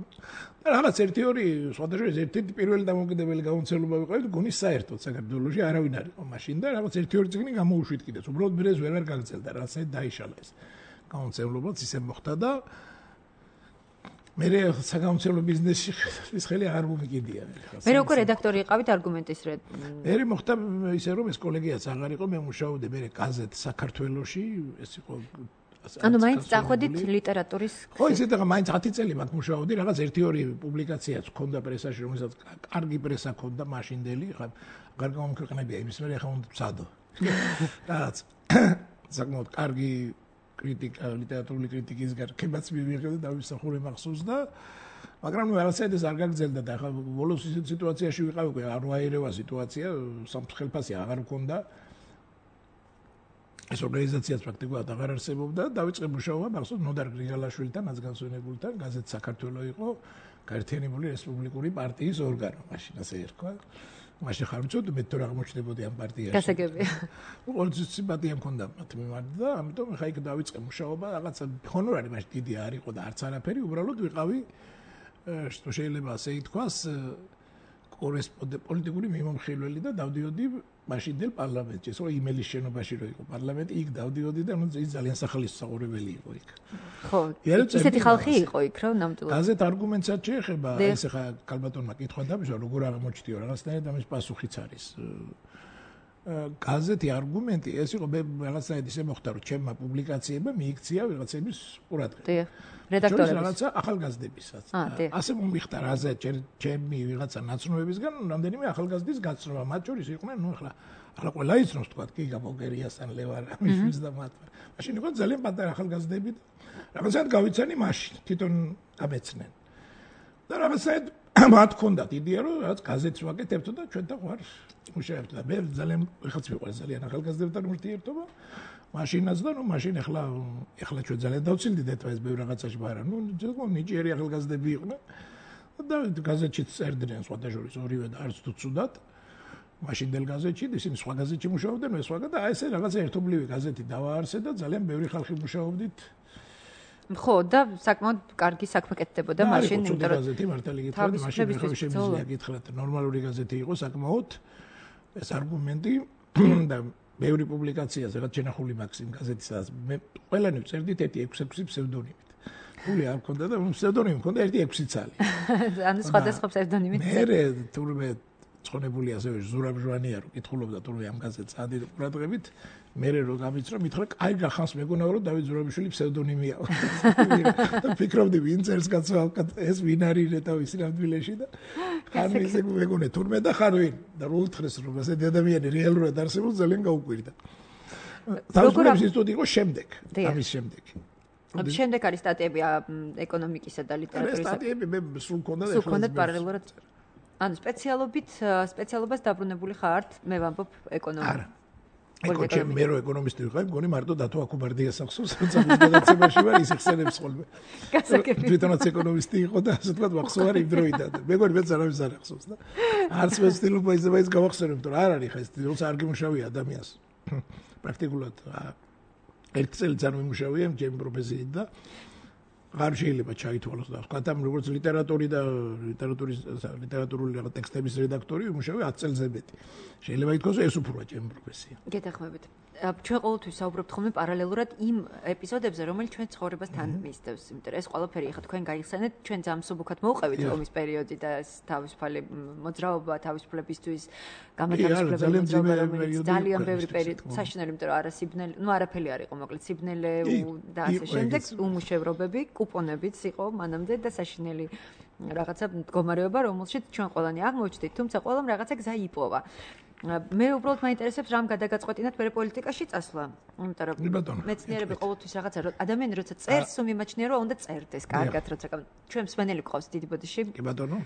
რაღაც ერთი-ორი სხვადასხვა ერთ-ერთი პირველი დამოუკიდებელი გამოცდილება ვიყავით გონის საერთოდ საქართველოში არავინ არ იყო მაშინ და რაღაც ერთი-ორი წიგნი გამოუშვით კიდეც უბრალოდ მერე ვერ გაგრძელდა რაღაცა დაიშალა ეს გამოცდილებაც ისე მოხდა და მე საგამოცდილო ბიზნესში ის ხელი არ მომიგიდია მე როგორ რედაქტორი იყავით არგუმენტის მე მოხდა ისე რომ ეს კოლეგიაც აღარ იყო მე მუშაობდი მე გაზეთ საქართველოში ეს იყო ანუ მაინც წახვედით ლიტერატურის ხო ისეთ რა მაინც 10 წელი მაგ მუშაობდი რაღაც ერთი-ორი პუბლიკაციაც ქონდა პრესაში რომელსაც კარგი პრესა ქონდა მაშინდელი ხა აღარ გამომქვეყნებია იმის მერე ხა უნდა ვცადო რაღაც საკმაოდ კარგი კრიტიკა ლიტერატურული კრიტიკის გარკვევაც მივიღე და დავისახურე მახსოვს და მაგრამ ნუ რაღაცა ეს არ გაგრძელდა და ხა ბოლოს ისეთ სიტუაციაში ვიყავი არ ვაერევა სიტუაცია სამწუხაროდ აღარ მქონდა ეს ორგანიზაციაც პრაქტიკულად აღარ არსებობდა და დავიწყე მუშაობა მახსოვს ნოდარ გრიგალაშვილთან ნაცგანცვენებულთან გაზეთ საქართველო იყო გაერთიანებული რესპუბლიკური პარტიის ორგანო მაშინ ასე ერქვა მაშინ ხარ ვიცოდი მე თუ რა აღმოჩნდებოდი ამ პარტიაში გასაგებია ყოველთვის სიმპათია მქონდა მათ მიმართ და ამიტომ ხა იქ დავიწყე მუშაობა რაღაცა ჰონორარი მაშინ დიდი არ იყო და არც არაფერი უბრალოდ ვიყავი შეიძლება ასე ითქვას პოლიტიკური მიმომხილველი და დავდიოდი მაშინდელ პარლამენტში ეს რომ იმელის შენობაში რო იყო პარლამენტი იქ დავდიოდი და ნუ ის ძალიან სახალისმსაყრებელი იყო იქ ხო ისეთი ხალხი იყო იქ რომ ნამდვილად გაზეთ არგუმენტსაც შეეხება ეს ხა კალბატონმა კითხვა დამიშვა როგორ აღმოჩნდიო რაღაცნაირად ამის პასუხიც არის გაზეთი არგუმენტი ეს იყო მე რაღაცნაირად ისე მოხდა რომ ჩემმა პუბლიკაციებმა მიიქცია ვიღაცების ყურადღება რედაქტორების რაღაცა ახალგაზრდებისაც ასე მომიხდა რაზე ჩემი ვიღაცა ნაცნობებისგან რამდენიმე ახალგაზრდის გაცნობა მათ შორის იყვნენ ნუ ახლა ყველა იცნობს თქვა კი გამოგერიასთან ლევარამიშვილს და მათ მაშინ იყო ძალიან პატარა ახალგაზრდები და რაღაცად გავიცანი მაშინ თვითონ გამეცნენ და რაღაცად მათ ქონდათ იდეა რომ რაღაც გაზეთს ვაკეთებთ და ჩვენთან ხარ მუშაობთ და მე ძალიან ხალხს მიყვარს ძალიან ახალგაზრდებთან ურთიერთობა მაშინაც და ნუ მაშინ ახლა ჩვენ ძალიან დავცილდით ეს ბევრ რაღაცაში მაგრამ ნუ ნიჭიერი ახალგაზრდები იყვნენ და გაზეთში წერდნენ სხვადასხვა ორივე და არც თუ ცუდად მაშინდელ გაზეთში ისინი სხვა გაზეთში მუშაობდნენ მე სხვა და ესე რაღაცა ერთობლივი გაზეთი დავაარსე და ძალიან ბევრი ხალხი მუშაობდით ხო და საკმაოდ კარგი საქმე კეთდებოდა მაშინ იმიტომ რომ გაზეთი მართალი გითხრათ მაშინ ხომ შემიძლია გითხრათ ნორმალური გაზეთი იყო საკმაოდ ეს არგუმენტი და ბევრი პუბლიკაცია ზოგადად შენახული მაქვს იმ გაზეთისაც მე ყველანი ვწერდით ერთი 6 ფსევდონიმით ფული არ მქონდა და ფსევდონიმი მქონდა ერთი 6 ცალი ანუ სხვადასხვა ფსევდონიმით მე თურმე ცხონებული ასევე ზურაბ ჟვანია რო კითხულობდა თურმე ამ გაზეთს ადი ყურადღებით მე რო გამიცრა მითხრა კაი გახანს მეგონა რომ დავით ზურაბიშვილი ფსევდონიმია და ფიქრობდი ვინ წერს კაცო ეს ვინ არის რეთავის ნამდვილეში და ხარ ისე მეგონა თურმე და ხარ ვინ და რო უთხრეს რომ ასეთი ადამიანი რეალურად არსებობს ძალიან გაუკვირდა როგორ ინსტიტუტი იყო შემდეგ ამის შემდეგ შემდეგ არის სტატიები ეკონომიკისა და ლიტერატურის სტატიები მე სულ მქონდა და ეხლა პარალელურად ანუ სპეციალობას დაბრუნებული ხართ მე ვამბობ ეკონომიკა ეკონომიკა მე რო ეკონომისტი ვიყავი მგონი მარტო დათო აკუბარდიას ახსოვს როცა გადაცემაში ვარ ის ხსენებს ხოლმე გასაგებია თვითონაც ეკონომისტი იყო და ასე თქვა ვახსოვარ იმ დროიდან მეგონი მეც არავის არ ახსოვს და არც მე ვცდილობ ის გავახსენებ რომ არ არის ხა ეს როცა არ გიმუშავია ადამიანს პრაქტიკულად ერთი წელიწად არ ვიმუშავია ჩემი პროფესიით და არ შეიძლება ჩაითვალოს და ვთქვათ ამ როგორც ლიტერატურული ტექსტების რედაქტორი ვიმუშავე 10 წელზე მეტი. შეიძლება ითქვას ეს უფროა ჩემი პროფესია. გეთანხმებით. ჩვენ ყოველთვის საუბრობთ ხოლმე პარალელურად იმ ეპიზოდებზე, რომელიც ჩვენ ცხოვრებას თან მისდევს. იმიტომ რომ ეს ყველაფერი ახლა თქვენ გაიხსენეთ, ჩვენ ძალიან მსუბუქად მოვყევით ომის პერიოდი და თავისუფალი მოძრაობა თავისუფლებისთვის გამათავისუფლებელი მოძრაობა ძალიან ბევრი პერიოდი საშინელი, იმიტომ რომ არასიბნელი, არაფერი არ იყო, მოკლედ სიბნელე და ასე შემდეგ, უმუშევრობები, კუპონებიც იყო მანამდე და საშინელი რაღაცა მდგომარეობა, რომელშიც ჩვენ ყველანი აღმოჩნდით, თუმცა ყველამ რაღაცა გზა იპოვა. მე უბრალოდ მაინტერესებს რამ გადაგაწყვეტინათ მე პოლიტიკაში წასვლა. იმიტომ რომ მეცნიერები ყოველთვის რაღაცა ადამიანი როცა წერს, მიმაჩნია რომ უნდა წერდეს კარგად, როცა ჩვენ მსმენელი გვყავს დიდი ბოდიში. კი ბატონო.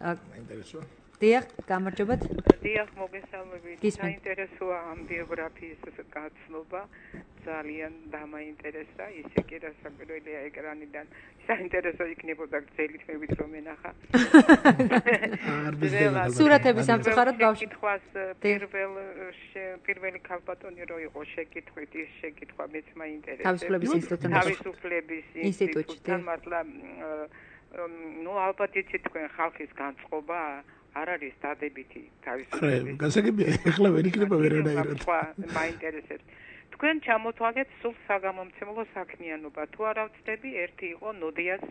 მაინტერესო. დიახ, გამარჯობათ. დიახ, მოგესალმებით. საინტერესოა ამ ბიოგრაფიის გაცნობა. ძალიან დამაინტერესა, ისე კი რასაკვირველია ეკრანიდან. საინტერესო იქნებოდა გრძელი თმებით რომ ენახა. სურათების სამწუხაროდ გავშეკითხვას პირველი ქალბატონი რო იყო შეკითხვით, ის შეკითხვა მეც მაინტერესებს. თავისუფლების ინსტიტუტთან. თავისუფლების ინსტიტუტთან მართლა ალბათ იცით თქვენ ხალხის განწყობა არ არის დადებითი თავისუფლების. გასაგებია, ეხლა ვერ იქნება ვერანაირად. მაინტერესებს. თქვენ ჩამოთვალეთ სულ საგამომცემლო საქმიანობა. თუ არა ვწდები, ერთი იყო ნოდიას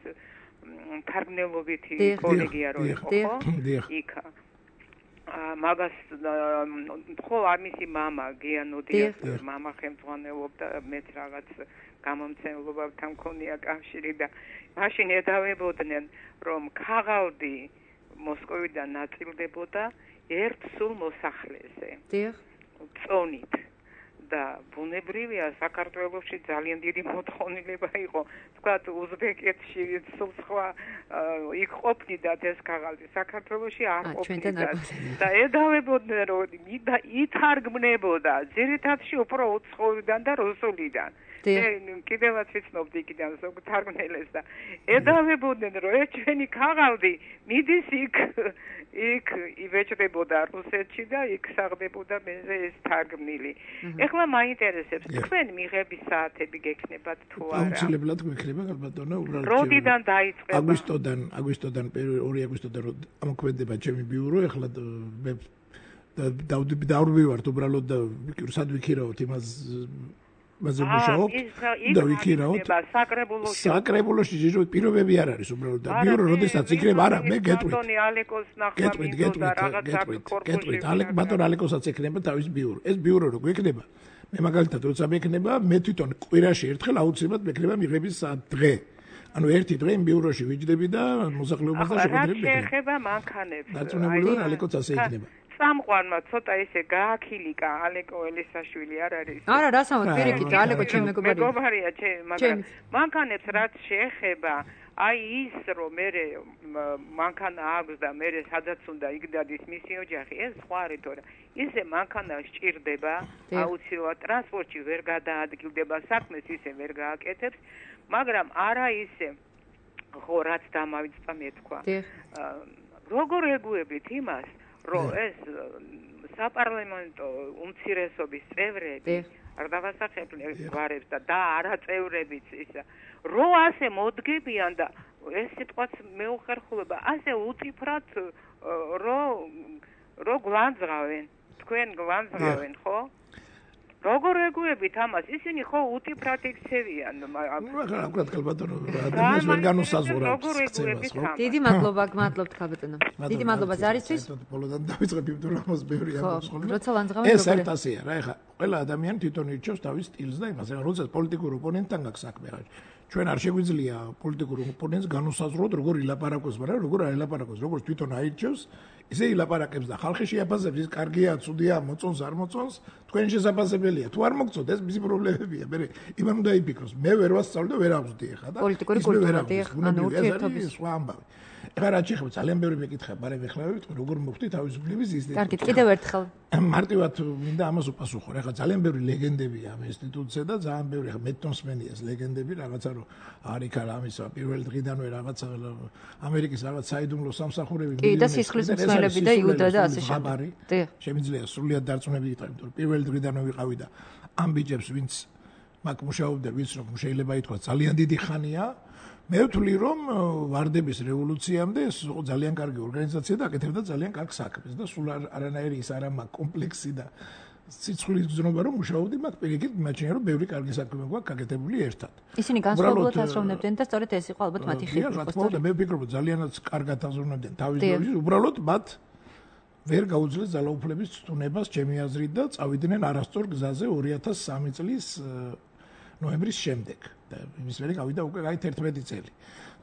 თარგმნელობითი კოლეგია რო იყო, ხო? იქ მაგას ხო ამისი მამა გია ნოდიას მამა ხელმძღვანელობდა მეც რაღაც გამომცემლობებთან მქონია კავშირი და მაშინ ედავებოდნენ რომ ქაღალდი მოსკოვიდან ნაწილდებოდა ერთ სულ მოსახლეზე. დიახ. წონით. და ბუნებრივია საქართველოში ძალიან დიდი მოთხოვნილება იყო. თქვათ უზბეკეთში სულ სხვა იქ ყოფნიდათ ეს ქაღალდი. საქართველოში არ ყოფნიდათ. და ედავებოდნენ რომ ითარგმნებოდა ძირითადში უფრო უცხოურიდან და რუსულიდან. კიდევაც ვიცნობდი იქიდან ზოგ თარგმნელებს და ედავებოდნენ რომ ეს ჩვენი ქაღალდი მიდის იქ იბეჭდებოდა რუსეთში და იქ საღდებოდა მეზე ეს თარგმნილი. ეხლა მაინტერესებს თქვენ მიღების საათები გექნებათ თუ არა? აუცილებლად გვექნება ბატონო, უბრალოდ როდიდან დაიწყება? აგვისტოდან 2 აგვისტოდან ამოქმედება ჩემი ბიურო, ეხლა მე დავდივართ უბრალოდ და სად ვიქირავთ იმას მასე მუშაობ და ვიქირავთ საკრებულოში ჯირო პირობები არ არის უბრალოდ და ბიურო როდესაც იქნება არა მე გეტყვით ალეკ ბატონ ალეკოსაც ექნება თავის ბიურო ეს ბიურო რო გვექნება მე მაგალითად როცა მექნება მე თვითონ კვირაში ერთხელ აუცილებლად მექნება მიღების დღე ანუ ერთი დღე იმ ბიუროში ვიჯდები და მოსახლეობას და შეხვედრები მექნება ეხება მანქანებს დარწმუნებული ვარ ალეკოც ასე იქნება სამყარმა ცოტა ესე გააქილიკა ალეკო ელისაშვილი არ არის არა რასამოდ პირიქით ალეკო ჩემი მეგობარია მაგრამ მანქანებს რაც შეეხება აი ის რომ მე მანქანა აქვს და მე სადაც უნდა იგდადის მისი ოჯახი ეს სხვა რითორა ისე მანქანა სჭირდება აუცილებლად ტრანსპორტში ვერ გადაადგილდება საქმეს ისე ვერ გააკეთებს მაგრამ არა ისე ხო რაც დამავიწყდა მე თქვა როგორ ეგუებით იმას რომ ეს საპარლამენტო უმცირესობის წევრები არ დავასახებენ გვარებს და არაწევრებიც ისა რო ასე მოდგებიან და ეს სიტყვაც მეუხერხულება ასე უწიფრად რო გვანძღავენ თქვენ გვანძღავენ ხო როგორ ეგუებით ამას ისინი ხო უწიფრად იქცევიან აკურატ ქალბატონო ადამიანს ვერ განუსაზღვრავს დიდი მადლობა გმადლობთ ქალბატონო დიდი მადლობა ზარისთვის ბოლოდან დავიწყებ იმ დრომოს ბევრი ამბობს ხოლმე როცა ლანძღავენ ეს ერთ ასეა რა ეხა ყველა ადამიანი თვითონ ირჩევს თავის სტილს და იმას ეხა როცა პოლიტიკურ ოპონენტთან გაქვს საქმე ჩვენ არ შეგვიძლია პოლიტიკურ ოპონენტს განუსაზღვროთ როგორ ილაპარაკოს მაგრამ როგორ არ ილაპარაკოს როგორც თვითონ აირჩევს ისე ილაპარაკებს და ხალხი შეაფასებს ის კარგია ცუდია მოწონს არ მოწონს თქვენ შესაძლებელია თუ არ მოგწონთ ეს მისი პრობლემებია მე იმან უნდა იფიქროს მე ვერ ვასწავლე და ვერ ავზდი ეხა და პოლიტიკური კულტურა ანუ ურთიერთობის სხვა ამბავი ეხლა რა შეიძლება ძალიან ბევრი მეკითხება მაგრამ ეხლა ვიტყვი როგორ მოხდი თავისუფლების ინსტიტუტში კარგით კიდევ ერთხელ მარტივად მინდა ამას უპასუხო ეხლა ძალიან ბევრი ლეგენდებია ამ ინსტიტუტზე და ძალიან ბევრი ეხლა მეტნოსმენიას ლეგენდები რაღაცა რომ არის ქალა ამისა პირველ დღიდანვე რაღაცა ამერიკის რაღაც საიდუმლო სამსახურები კი და სისხლის მსმენელები და იუდა და ასე შემდეგ შემიძლია სრულიად დარწმუნებული იყავი იმიტომ რომ პირველ დღიდანვე ვიყავი და ამ ბიჭებს ვინც მაგ მუშაობდა ვინც რომ შეიძლება ითქვას ძალიან დიდი ხანია. მე ვთვლი რომ ვარდების რევოლუციამდე ეს ძალიან კარგი ორგანიზაცია და აკეთებდა ძალიან კარგ საქმეს და სულ არანაირი ის არა მაგ კომპლექსი და სიცხვილის გზნობა რომ მუშაობდი მაგ პირიქით მიმაჩნია რომ ბევრი კარგი საქმე გვაქვს გაკეთებული ერთად. ისინი განსხვავებულად აზროვნებდნენ და სწორედ ეს იყო ალბათ მათი ხიბი. რა თქმა უნდა მე ვფიქრობ ძალიანაც კარგად აზროვნებდნენ თავის დროის უბრალოდ მათ ვერ გაუძლეს ძალაუფლების ცდუნებას ჩემი აზრით და წავიდნენ არასწორ გზაზე 2003 წლის ნოემბრის შემდეგ და იმის მერე გავიდა უკვე გაით 11 წელი.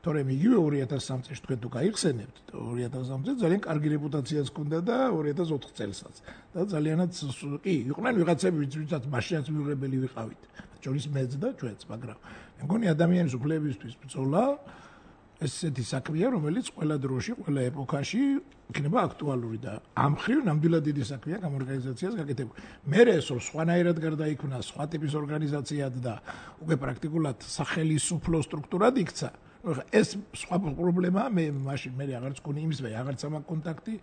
თორემ იგივე 2003 წელს თქვენ თუ გაიხსენებთ 2003 წელს ძალიან კარგი რეპუტაციაც ჰქონდა და 2004 წელსაც და ძალიანაც კი იყვნენ ვიღაცები ვისაც მაშინაც მიუღებელი ვიყავით ჯორის მეც და ჩვენც მაგრამ მე მგონი ადამიანის უფლებისთვის ბრძოლა ესეთი საქმეა რომელიც ყველა დროში ყველა ეპოქაში იქნება აქტუალური და ამ ხრივ ნამდვილად დიდი საქმეა გამორგანიზაციას გაკეთებული. მე ეს სხვანაირად გარდაიქმნა სხვა ტიპის ორგანიზაციად და უკვე პრაქტიკულად სახელმწიფო სტრუქტურად იქცა. ეს სხვა პრობლემაა მე მაშინ მე აღარც გქონი იმის მე აღარც ამაქვს კონტაქტი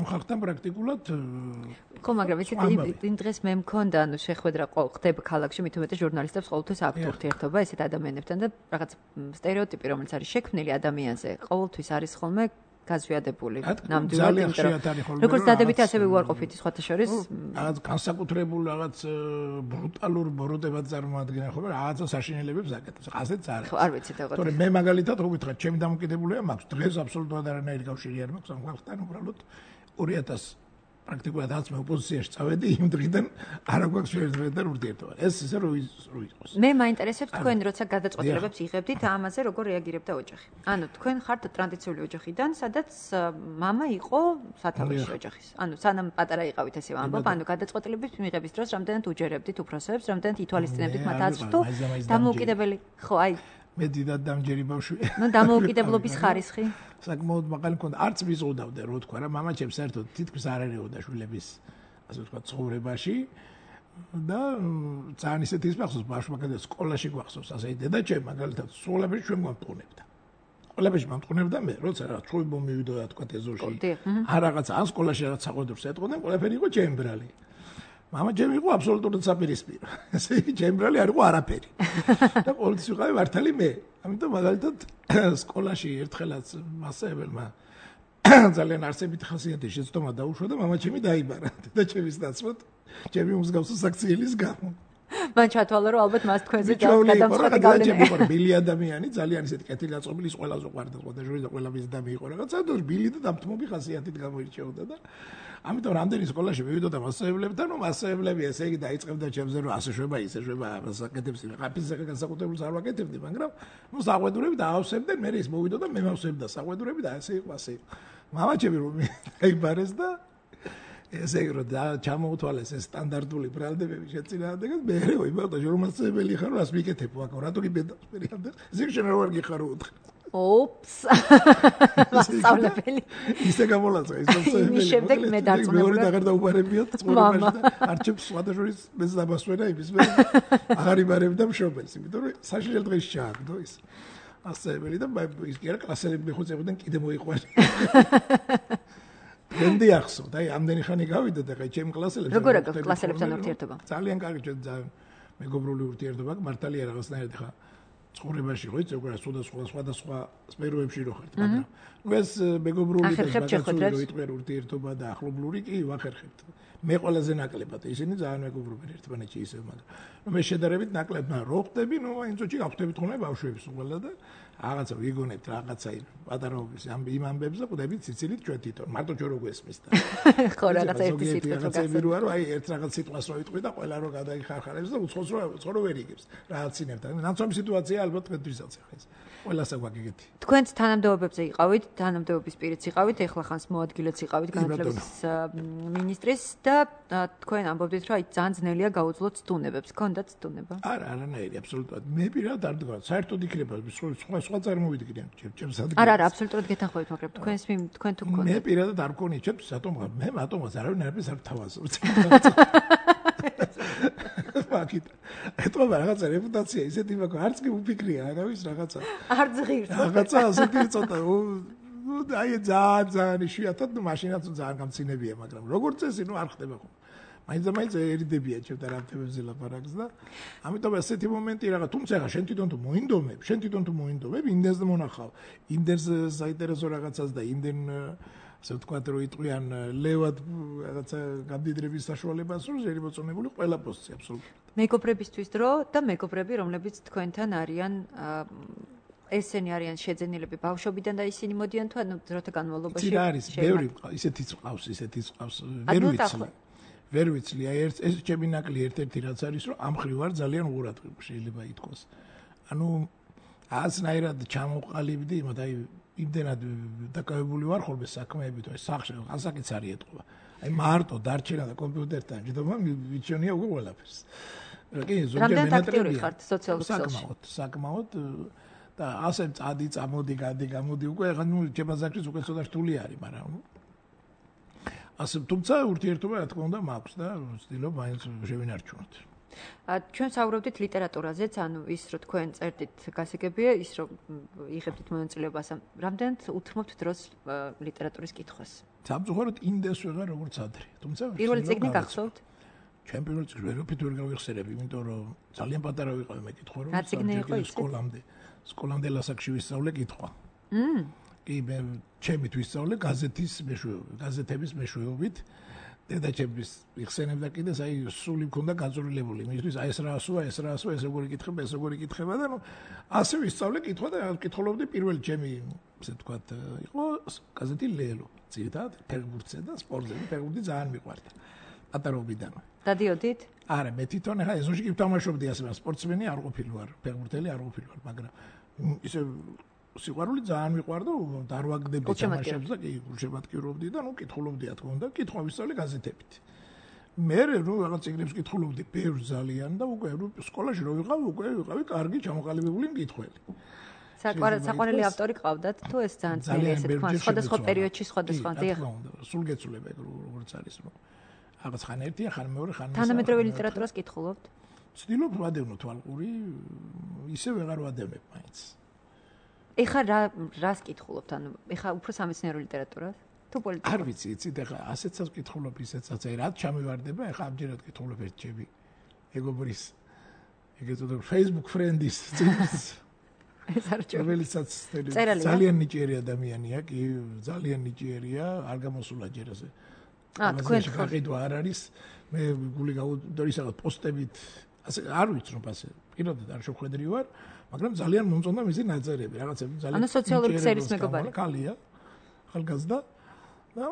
ამ ხალხთან პრაქტიკულად ხო მაგრამ იცით იმ დღეს მე მქონდა ანუ შეხვედრა ხდება ქალაქში მით უმეტეს ჟურნალისტებს ყოველთვის აქვთ ურთიერთობა ესეთ ადამიანებთან და რაღაც სტერეოტიპი რომელიც არის შექმნილი ადამიანზე ყოველთვის არის ხოლმე გაზვიადებული ნამდვილად როგორც დადებითი ასევე უარყოფითი სხვათა შორის რაღაც განსაკუთრებულ რაღაც ბრუტალურ ბოროტებად წარმოადგენენ ხოლმე რაღაცა საშინელებებს აკეთებს ასეც არის ხო არ ვიცი და თორემ მე მაგალითად რო გითხრათ ჩემი დამოკიდებულება მაქვს დღეს აბსოლუტურად არანაირი კავშირი არ მაქვს ამ ხალხთან უბრალოდ 2000 პრაქტიკულად რაც მე ოპოზიციაში წავედი იმ დღიდან არ აქვს შეერთებიდან ურთიერთობა. ეს ისე რო იყოს. მე მაინტერესებს თქვენ როცა გადაწყვეტილებებს იღებდით ამაზე როგორ რეაგირებდა ოჯახი. ანუ თქვენ ხართ ტრადიციული ოჯახიდან, სადაც მამა იყო სათავეში ოჯახის. ანუ სანამ პატარა იყავით ესე ვამბობ, ანუ გადაწყვეტილების მიღების დროს რამდენად უჯერებდით უფროსებს, რამდენად ითვალისწინებდით მათ აზრს თუ დამოუკიდებელი ხო აი მე დიდად დამჯერი ბავშვია. ნუ დამოუკიდებლობის ხარისხი. საკმაოდ მაღალი მქონდა. არც ვიზღუდავდა რო თქვა რა, მამა ჩემს საერთოდ თითქმის არ ერეოდა შვილების ასე ვთქვა ცხოვრებაში და ძალიან ისეთი ის მახსოვს ბავშვმა გადაწყდა სკოლაში გვახსოვს ასე დედა ჩემ მაგალითად სკოლაში ჩვენ მომტყუნებდა. სკოლაში მომტყუნებდა მე, როცა რა ჩვენი მომივიდა რა თქვა ეზოში. არ რაღაცა ან სკოლაში რაღაც საყვედურს ეტყოდნენ, ყველაფერი იყო ჩემი ბრალი. მამა ჩემი იყო აბსოლუტურად საპირისპირო. ესე იგი ჩემი ბრალი არ იყო არაფერი. და ყოველთვის ვიყავი მართალი მე. ამიტომ მაგალითად სკოლაში ერთხელაც მასწავლებელმა ძალიან არსებითი ხასიათის შეცდომა დაუშვა და მამა ჩემი დაიბარა. და ჩემის ნაცვლად ჩემი მსგავსი საქციელის გამო. მან ჩათვალა რომ ალბათ მას თქვენზე გადამწყვეტი გავლენა იყო. ბილი ადამიანი ძალიან ისეთი კეთილგანწყობილი ყველაზე უყვარდა და ჟური და ყველა მის და მე იყო რაღაცა და ბილი და დამთმობი ხასიათით გამოირჩეოდა და ამიტომ რამდენი სკოლაში მივიდოდა მასწავლებლებთან, რომ მასწავლებლები ესე იგი დაიწყებდა ჩემზე რომ ასე შვება, ისე შვება, საკეთებს იმ ხაფის განსაკუთრებულს არ ვაკეთებდი, მაგრამ ნუ საყვედურები დაავსებდნენ, მე ის მოვიდოდა მე მავსებდა საყვედურები და ასე იყო, ასე იყო. მამა ჩემი რომ დაიბარეს და ესე იგი რომ ჩამოუთვალეს ეს სტანდარტული ბრალდებები შეწინააღმდეგად, მე ვიმართა რომ მასწავლებელი ხარ, რას მიკეთებ აქ, რატო გიბედავს პერიოდში? ზიგშენ რა ვარ გიხარო უთხრა. ოპს. მასწავლებელი. ისე გამოლაცა ის მასწავლებელი. იმის შემდეგ მე დარწმუნებული. მეორე დაღარ დაუბარებიათ ცხოვრებაში და არჩევს სხვადასხვა მეც დამასვენა იმის მე. აღარ იმარებდა მშობელს, იმიტომ რომ საშინელ დღეს ჩააგდო ის. მასწავლებელი და ის კი არა კლასელები მეხუწებოდნენ კიდე მოიყვანე. გენდი ახსოვდა, აი ამდენი ხანი გავიდა და აი ჩემი კლასელებს. როგორ აქვს კლასელებთან ურთიერთობა? ძალიან კარგი ჩვენ ძალიან მეგობრული ურთიერთობა, მართალია რაღაცნაირად ხა ცხოვრებაში ხო იცი უკვე სხვადასხვა სფეროებში რო ხართ, მაგრამ ნუ ეს მეგობრული და მაგაცური რო იტყვი ურთიერთობა და ახლობლური კი ვახერხებთ. მე ყველაზე ნაკლებად ისინი ძალიან მეგობრობენ ერთმანეთში ისე, მაგრამ ნუ მე შედარებით ნაკლებად რო ხდები, ნუ აი წოჩი გავხდებით ხოლმე ბავშვების ყველა და რაღაცა ვიგონებთ რაღაცა პატარაობის იმ ამბებს და ყვდებით ციცილით ჩვენ თვითონ მარტო ჩვენ რო გვესმის და ხო რაღაცა ერთი სიტყვით რო გასცემ რო აი ერთ რაღაც სიტყვას რო იტყვი და ყველა რო გადაიხარხარებს და უცხოს რო ვერ იგებს რაღაცინებდა ნაცნობი სიტუაცია ალბათ დღესაც ახლა ეს ყველასა გვაგიგეთი თქვენც თანამდებობებზე იყავით თანამდებობის პირიც იყავით ეხლა ხანს მოადგილეც იყავით განათლების მინისტრის და თქვენ ამბობდით რომ აი ძალიან ძნელია გაუძლოთ სტუნებებს გქონდათ სტუნება არა არანაირი აბსოლუტურად მე პირადად არ დგა საერთოდ იქნება სხვა წარმოვიდგინე ჩემს ადგილას. არა, აბსოლუტურად გეთანხმებით, მაგრამ თქვენ თუ გქონდათ. მე პირადად არ მქონი, ჩემს მე მათომას არავინ არაფერს არ თავაზობთ. მაგით. ეთქობა რაღაცა რეპუტაცია ისეთი მაქვს, არც კი უფიქრია, არავის რაღაცა. არ ზღირს. რაღაცა ასეთი ცოტა აი ძალიან იშვიათად, ნუ მაშინაც ძალიან გამცინებია, მაგრამ როგორც წესი, ნუ არ ხდება ხო. მაინც ერიდებია ჩემთან რამთებებზე ლაპარაკს და ამიტომ ასეთი მომენტი რაღა, თუმცა ხა შენ თვითონ თუ მოინდომებ, იმდენს მონახავ, იმდენს საინტერესო რაღაცას და იმდენ ასე ვთქვათ, რომ იტყვიან ლევად რაღაცა გამდიდრების საშუალებას, რომ შეიძლება მოწონებული ყველა პოსტი აბსოლუტურად. მეგობრებისთვის დრო და მეგობრები, რომლებიც თქვენთან არიან ესენი არიან შეძენილები ბავშვობიდან და ისინი მოდიან თუ ანუ დროთა განმავლობაში შეიძლება არის ბევრი ისეთიც ყავს ვერ ვიცი აი ეს ჩემი ნაკლი ერთ-ერთი რაც არის რომ ამ ხრივ არ ძალიან უღურადღება შეიძლება ითქვას ანუ ასნაირად ჩამოყალიბდი იმათ აი იმდენად დაკავებული ვარ ხოლმე საქმეებით აი სახში ასაკიც არის ეთყობა აი მარტო დარჩენა და კომპიუტერთან ჯდომა მიჩვენია უკვე ყველაფერს კი ზოგადად აქტიური ხართ სოციალურ ქსელში საკმაოდ და ასე წადი წამოდი გამოდი უკვე ახლა ნუ ჩემაზაკრის უკვე ცოტა რთული არის მაგრამ ასე თუმცა ურთიერთობა რა თქმა უნდა მაქვს და ვცდილობ მაინც შევინარჩუნოთ ჩვენ საუბრობდით ლიტერატურაზეც ანუ ის რომ თქვენ წერდით გასაგებია ის რომ იღებდით მონაწილეობას რამდენად უთმობთ დროს ლიტერატურის კითხვას სამწუხაროდ იმდეს ვეღარ როგორც ადრე თუმცა პირველი წიგნი გახსოვთ ჩემ პირველ წიგნს ვერაფერ ვერ გავიხსენები იმიტომ რომ ძალიან პატარა ვიყავი მე კითხვა რომ სკოლამდე ლასაკში ვისწავლე კითხვა. კი მე ჩემით ვისწავლე გაზეთების მეშვეობით. დედაჩემის იხსენებდა კიდეს აი სული მქონდა გაწურილებული. მისთვის აი ეს როგორი კითხება და ნუ ასე ვისწავლე კითხვა და კითხულობდი პირველი ჩემი ასე ვთქვათ იყო გაზეთი ლელო. ძირითადად ფეხბურთზე და სპორტზე ფეხბურთი ძალიან მიყვარდა. პატარობიდან. დადიოდით? არა, მე თვითონ ახლა ეზოში კი ვთამაშობდი ასე სპორტსმენი არ ყოფილი ვარ, ფეხბურთელი არ ყოფილი ვარ, მაგრამ ისე სიყვარული ძალიან მიყვარდა და არ ვაგდებდი თამაშებს და კი გულშემატკივრობდი და ნუ კითხულობდი რა თქმა უნდა, კითხვა ვისწავლე გაზეთებით. მე რო რაღაც წიგნებს კითხულობდი ბევრ ძალიან და უკვე სკოლაში რო ვიყავი კარგი ჩამოყალიბებული მკითხველი. საყვარელი ავტორი ყავდათ თუ ეს ძალიან ესე თქვა სხვადასხვა პერიოდში სხვადასხვა დიახ. სულ გეცვლება ეგ როგორც არის რომ რაღაც ხან ერთია, ხან მეორე, ხან მესამე. თანამედროვე ლიტერატურას კითხულობთ? ვცდილობ ვადევნო თვალყური, ისე ვეღარ ვადევნებ მაინც. ეხლა რას კითხულობთ? ანუ ეხლა უფრო სამეცნიერო ლიტერატურას? თუ პოლიტიკა? არ ვიცი, იცით ეხლა ასეცაც კითხულობ, ისეცაც, აი რაც ჩამივარდება, ეხლა ამჯერად კითხულობ ერთ ჩემი მეგობრის ეგეთ უბრალოდ Facebook friend-ის წიგნს. ეს არ ჩო. რომელიცაც ძალიან ნიჭიერი ადამიანია, კი, ძალიან ნიჭიერია, არ გამოსულა ჯერ ასე. თქვენ გაყიდვა არ არის მე გული გაუდორისაღად პოსტებით ასე არ ვიცი რომ ასე პირადად არ შეხვედრი ვარ მაგრამ ძალიან მომწონდა მისი ნაწერები რაღაცები ძალიან ანუ სოციალური ქსელის მეგობარი კალია ახალგაზრდა და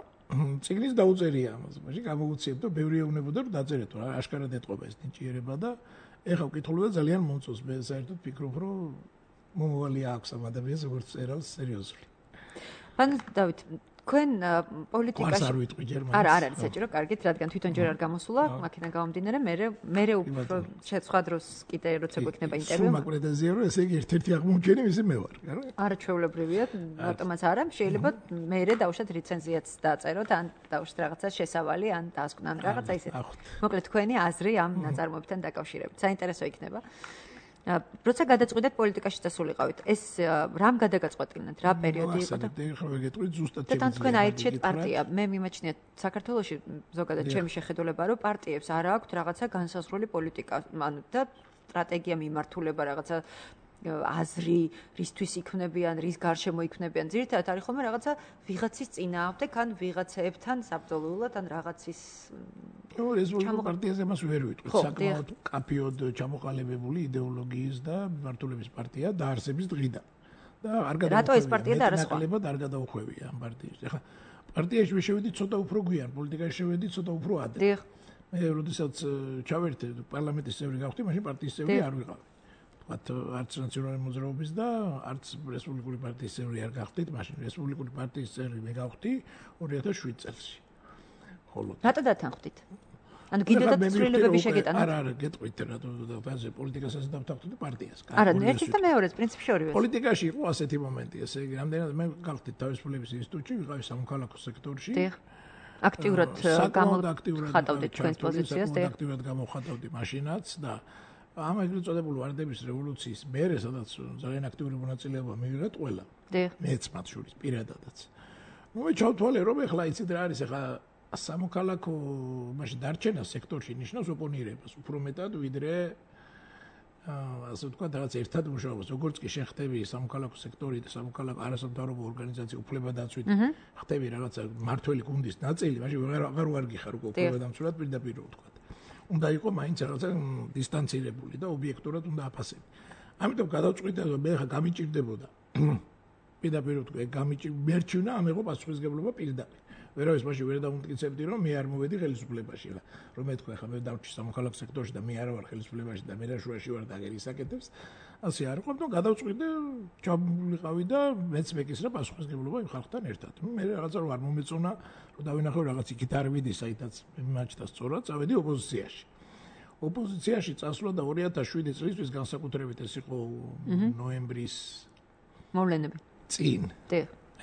წიგნის დაუწერია ამაზე მაშინ გამოუციებ და ბევრი ეუბნებოდა რომ დაწერეთო აშკარად ეთყობა ეს ნიჭიერება და ეხლა ვკითხულობ და ძალიან მომწონს მე საერთოდ ფიქრობ რომ მომავალი აქვს ამ ადამიანს როგორც წერალს სერიოზული პან დავით თქვენ პოლიტიკაში არ ვიტყვი ჯერმანს არა არის საჭირო კარგით რადგან თვითონ ჯერ არ გამოსულა მაქედან გამომდინარე მე უფრო შესხვა დროს კიდე როცა გვექნება ინტერვიუ მაგ პრეტენზია რომ ესე იგი ერთ-ერთი აღმოჩენი მისი მე ვარ არა ჩვეულებრივია რატომაც არა შეიძლება მე დავუშვათ რეცენზიაც დაწეროთ ან დავუშვათ რაღაცა შესავალი ან დასკვნან რაღაცა ისეთი მოკლედ თქვენი აზრი ამ ნაწარმოებთან დაკავშირებით საინტერესო იქნება როცა გადაწყვეტეთ პოლიტიკაში დასულიყავით ეს რამ გადაგაწყვეტინეთ რა პერიოდი იყო და ეხლა ვეგეტყვით ზუსტად და თქვენ აირჩიეთ პარტია მე მიმაჩნიათ საქართველოში ზოგადად ჩემი შეხედულება რომ პარტიებს არ აქვთ რაღაცა განსაზღვრული პოლიტიკა ანუ და სტრატეგია მიმართულება რაღაცა აზრი რისთვის იქნებიან რის გარშემო იქნებიან ძირითადად არის ხოლმე რაღაცა ვიღაცის წინააღმდეგ ან ვიღაცებთან საბრძოლველად ან რაღაცის რეზოლუტიურ პარტიაზე მას ვერ ვიტყვით საკმაოდ კაფეოდ ჩამოყალიბებული იდეოლოგიის და მიმართულების პარტია დაარსების დღიდან და არ რატო ეს პარტია და არა სხვა არ გადაუხვევია ამ პარტიას ეხლა პარტიაში მე შევედი ცოტა უფრო გვიან პოლიტიკაში შევედი ცოტა უფრო ადრე დიახ მე როდესაც ჩავერთე პარლამენტის წევრი გავხდი მაშინ პარტიის წევრი არ ვიყავი არც ნაციონალური მოძრაობის და არც რესპუბლიკური პარტიის წევრი არ გახდით, მაშინ რესპუბლიკური პარტიის წევრი მე გავხდი 2007 წელს. ხოლო რატო დათანხმდით? ანუ კიდევაც ცვლილებები შეგეტანოთ? არა, გეტყვით რატო და პოლიტიკასაც დავთანხმდი პარტიას. არა, ერთის და მეორეს პრინციპში ორივე. პოლიტიკაში იყო ასეთი მომენტი, ესე იგი, რამდენად მე გავხდით თავისუფლების ინსტიტუტში, ვიყავი სამოქალაქო სექტორში. დიახ. აქტიურად გამოხატავდით თქვენს პოზიციას, დიახ. აქტიურად გამოხატავდი მაშინაც და ამ ეგრეთ წოდებული ვარდების რევოლუციის მერე, სადაც ძალიან აქტიური მონაწილეობა მივიღეთ ყველა. დიახ. მეც მათ შორის პირადადაც. ნუ მე ჩავთვალე რომ ეხლა იცით რა არის ეხლა სამოქალაქო მაშინ დარჩენა სექტორში ნიშნავს ოპონირებას უფრო მეტად ვიდრე ასე ვთქვათ რაღაც ერთად მუშაობას. როგორც კი შეხტები სამოქალაქო სექტორი და სამოქალაქო არასამთავრობო ორგანიზაცია უფლებადამცვით ხტები რაღაცა მართველი გუნდის ნაწილი, მაშინ აღარ ვარგიხარ უკვე უფლებადამცველად პირდაპირ ვთქვათ. უნდა იყო მაინც რაღაცა დისტანცირებული და ობიექტურად უნდა აფასები. ამიტომ გადავწყვიტე რომ მე ხა გამიჭირდებოდა. პირდაპირ ვთქვი, მერჩივნა ამ იყო პასუხისგებლობა პირდაპირ. ვერავის მაშინ ვერ დამტკიცებდი რომ მე არ მოვედი ხელისუფლებაში რა. რომ მე თქვა ხა მე დავჭი სამოქალაქო სექტორში და მე არ ვარ ხელისუფლებაში და მე რა შუაში ვარ და აგერ ისაკეთებს. ასე არ იყო, მაგრამ გადავწყვიტე ჩამოვიყავი და მეც მეკისრა პასუხისგებლობა იმ ხალხთან ერთად. მე რაღაცა რომ არ მომეწონა რომ დავინახო რაღაც იქით არ ვიდი საითაც მიმაჩნდა სწორად, წავედი ოპოზიციაში. ოპოზიციაში წასვლა და 2007 წლისთვის განსაკუთრებით ეს იყო ნოემბრის მოვლენები. წინ.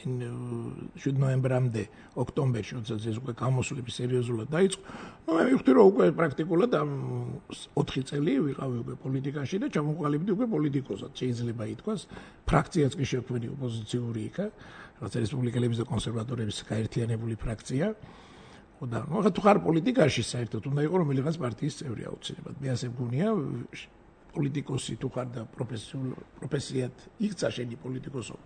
ნოემბრამდე, ოქტომბერში, როდესაც ეს უკვე გამოსვლები სერიოზულად დაიწყო. მე ვიხდი რომ უკვე პრაქტიკულად ამ 4 წელი ვიყავი უკვე პოლიტიკაში და ჩამოყალიბდი უკვე პოლიტიკოსად. შეიძლება ითქვას, ფრაქციაც კი შექმნი ოპოზიციური იქა, რაც რესპუბლიკელების და კონსერვატორების გაერთიანებული ფრაქცია. და ნუ თუ ხარ პოლიტიკაში საერთოდ უნდა იყო რომელიღაც პარტიის წევრი აუცილებლად. მე ასე მგონია პოლიტიკოსი თუ ხარ და პროფესიად იქცა შენი პოლიტიკოსობა.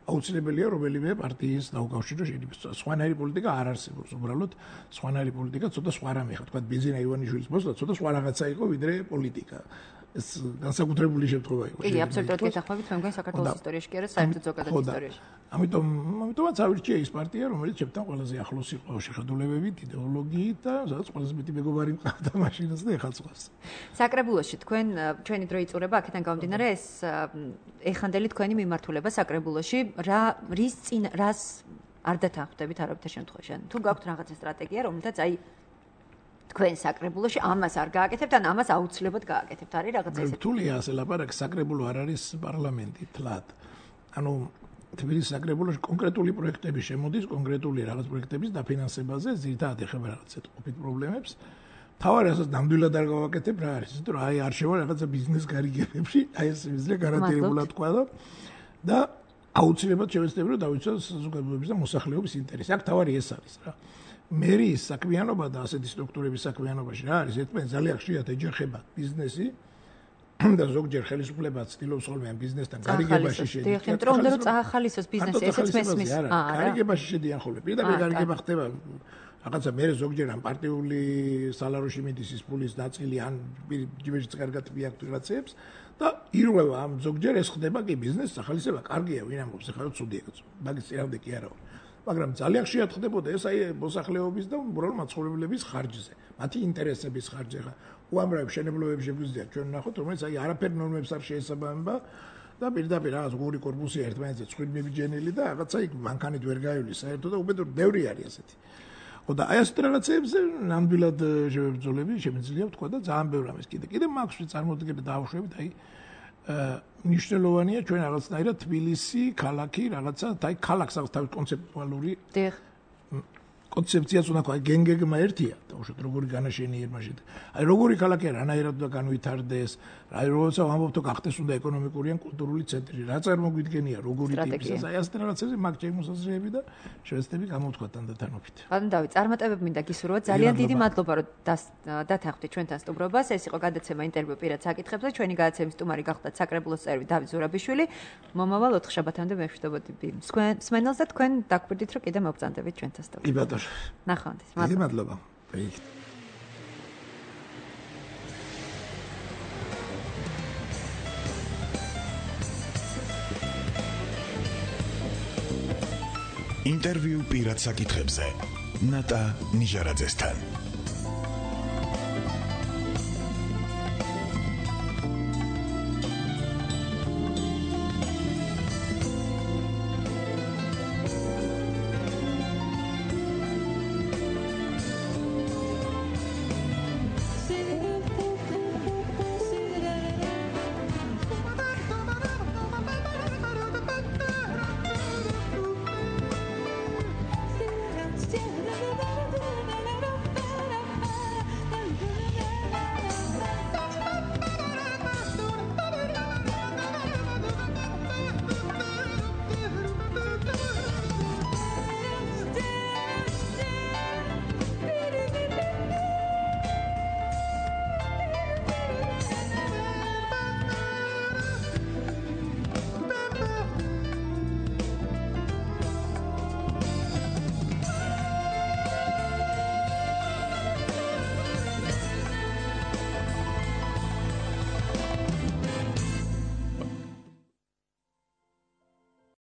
აუცილებელია რომელიმე პარტიის დაუკავშირო შენი სხვანაირი პოლიტიკა არ არსებობს. უბრალოდ სხვანაირი პოლიტიკა ცოტა სხვა რამე ხარ. თქვა ბიზინა ივანიშვილის მოსვლა ცოტა სხვა რაღაცა იყო ვიდრე პოლიტიკა. ეს განსაკუთრებული შემთხვევა იყო. კი, აბსოლუტურად გეთანხმებით, მე მგონი საქართველოს ისტორიაში კი არა, საერთოდ ზოგადად ისტორიაში. ამიტომაც ავირჩია ის პარტია, რომელიც ჩემთან ყველაზე ახლოს იყო შეხედულებებით, იდეოლოგიით და სადაც ყველაზე მეტი მეგობარი მყავდა მაშინაც და ეხლა წვავს. საკრებულოში თქვენ ჩვენი დრო იწურება აქედან გამომდინარე ეს ეხანდელი თქვენი მიმართულება საკრებულოში რას არ დათანხმდებით არავითარ შემთხვევაში. თუ გაქვთ რაღაცა სტრატეგია, რომელთაც აი თქვენ საკრებულოში ამას არ გააკეთებთ, ან ამას აუცილებლად გააკეთებთ. არის რაღაცა ესეთი. რთულია ასე ლაპარაკი, საკრებულო არ არის პარლამენტი თლად. ანუ თბილისის საკრებულოში კონკრეტული პროექტები შემოდის, კონკრეტული რაღაც პროექტების დაფინანსებაზე, ზირთად ეხება რაღაც ყოფით პრობლემებს. თავარი ასაც ნამდვილად არ გავაკეთებ რა არის, იმიტომ რომ აი არ შევა რაღაცა ბიზნეს გარიგებებში, აი ეს მიზნე გარანტირებულად თქვა და აუცილებლად შევეცდები რომ დავიცვას საზოგადოების და მოსახლეობის ინტერესი. აქ თავარი ეს არის რა. მერის საქმიანობა და ასეთი სტრუქტურების საქმიანობაში რა არის, ერთმანეთს ძალიან ხშირად ეჯახება ბიზნესი და ზოგჯერ ხელისუფლებაც ცდილობს ხოლმე ამ ბიზნესთან გარიგებაში შედის. დიახ, იმიტომ რომ უნდა რომ წაახალისოს ბიზნესი, ესეც მესმის. გარიგებაში შედიან ხოლმე. პირდაპირ გარიგება ხდება რაღაცა მე ზოგჯერ ამ პარტიული სალაროში მიდის ის ფულის ნაწილი ან ჯიბეშიც კარგად მიაქვთ რაღაცებს და ირღვევა ამ ზოგჯერ ეს ხდება კი ბიზნესის ახალისება კარგია, ვინ ამბობს ახლა ცუდია კაცო. მაგის წინამდე კი არა. მაგრამ ძალიან ხშირად ხდებოდა ეს აი მოსახლეობის და უბრალოდ მაცხოვრებლების ხარჯზე, მათი ინტერესების ხარჯზე. უამრავ შენებლობებს შეგვიძლია ჩვენ ვნახოთ, რომელიც აი არაფერ ნორმებს არ შეესაბამება და პირდაპირ რაღაც ორი კორპუსი ერთმანეთზე ცხვირმებიჯენილი და რაღაცა იქ მანქანით ვერ გაივლის საერთოდ და უბედური ბევრი არის ასეთი. და აი ასეთ რაღაცებზე ნამდვილად შევებრძოლები შემიძლია ვთქვა და ძალიან ბევრი ამის კიდე მაქვს წარმოდგენა დავუშვებით აი ნიშნულოვანია ჩვენ რაღაცნაირად თბილისი ქალაქი რაღაცა აი ქალაქს აქვს თავის კონცეპტუალური კონცეფციაც უნდა თქვა გენგეგმა ერთია დაუშვათ როგორი განაშენია მაშინ აი როგორი ქალაქია რანაირად უნდა განვითარდეს აი როცა ვამბობთ გახდეს უნდა ეკონომიკური ან კულტურული ცენტრი რა წარმოგვიდგენია როგორი ტიპის აი ასეთ რაღაცებზე მაგ შემოსაზრები და შევეცდები გამოვთქვა თანდათანობით ბატონ დავით წარმატებები მინდა გისურვოთ ძალიან დიდი მადლობა რომ დათანხმდით ჩვენთან სტუმრობას ეს იყო გადაცემა ინტერვიუ პირად საკითხებზე ჩვენი გადაცემის სტუმარი გახდათ საკრებულოს წევრი დავით ზურაბიშვილი მომავალ 4 შაბათამდე მეშვიდობოდი მსმენელს და თქვენ დაგვირდით რომ კიდე მოგწანდებით ჩვენთან სტუმრობას ნახვამდის დიდი მადლობა ინტერვიუ პირად საკითხებზე ნატა ნიჟარაძესთან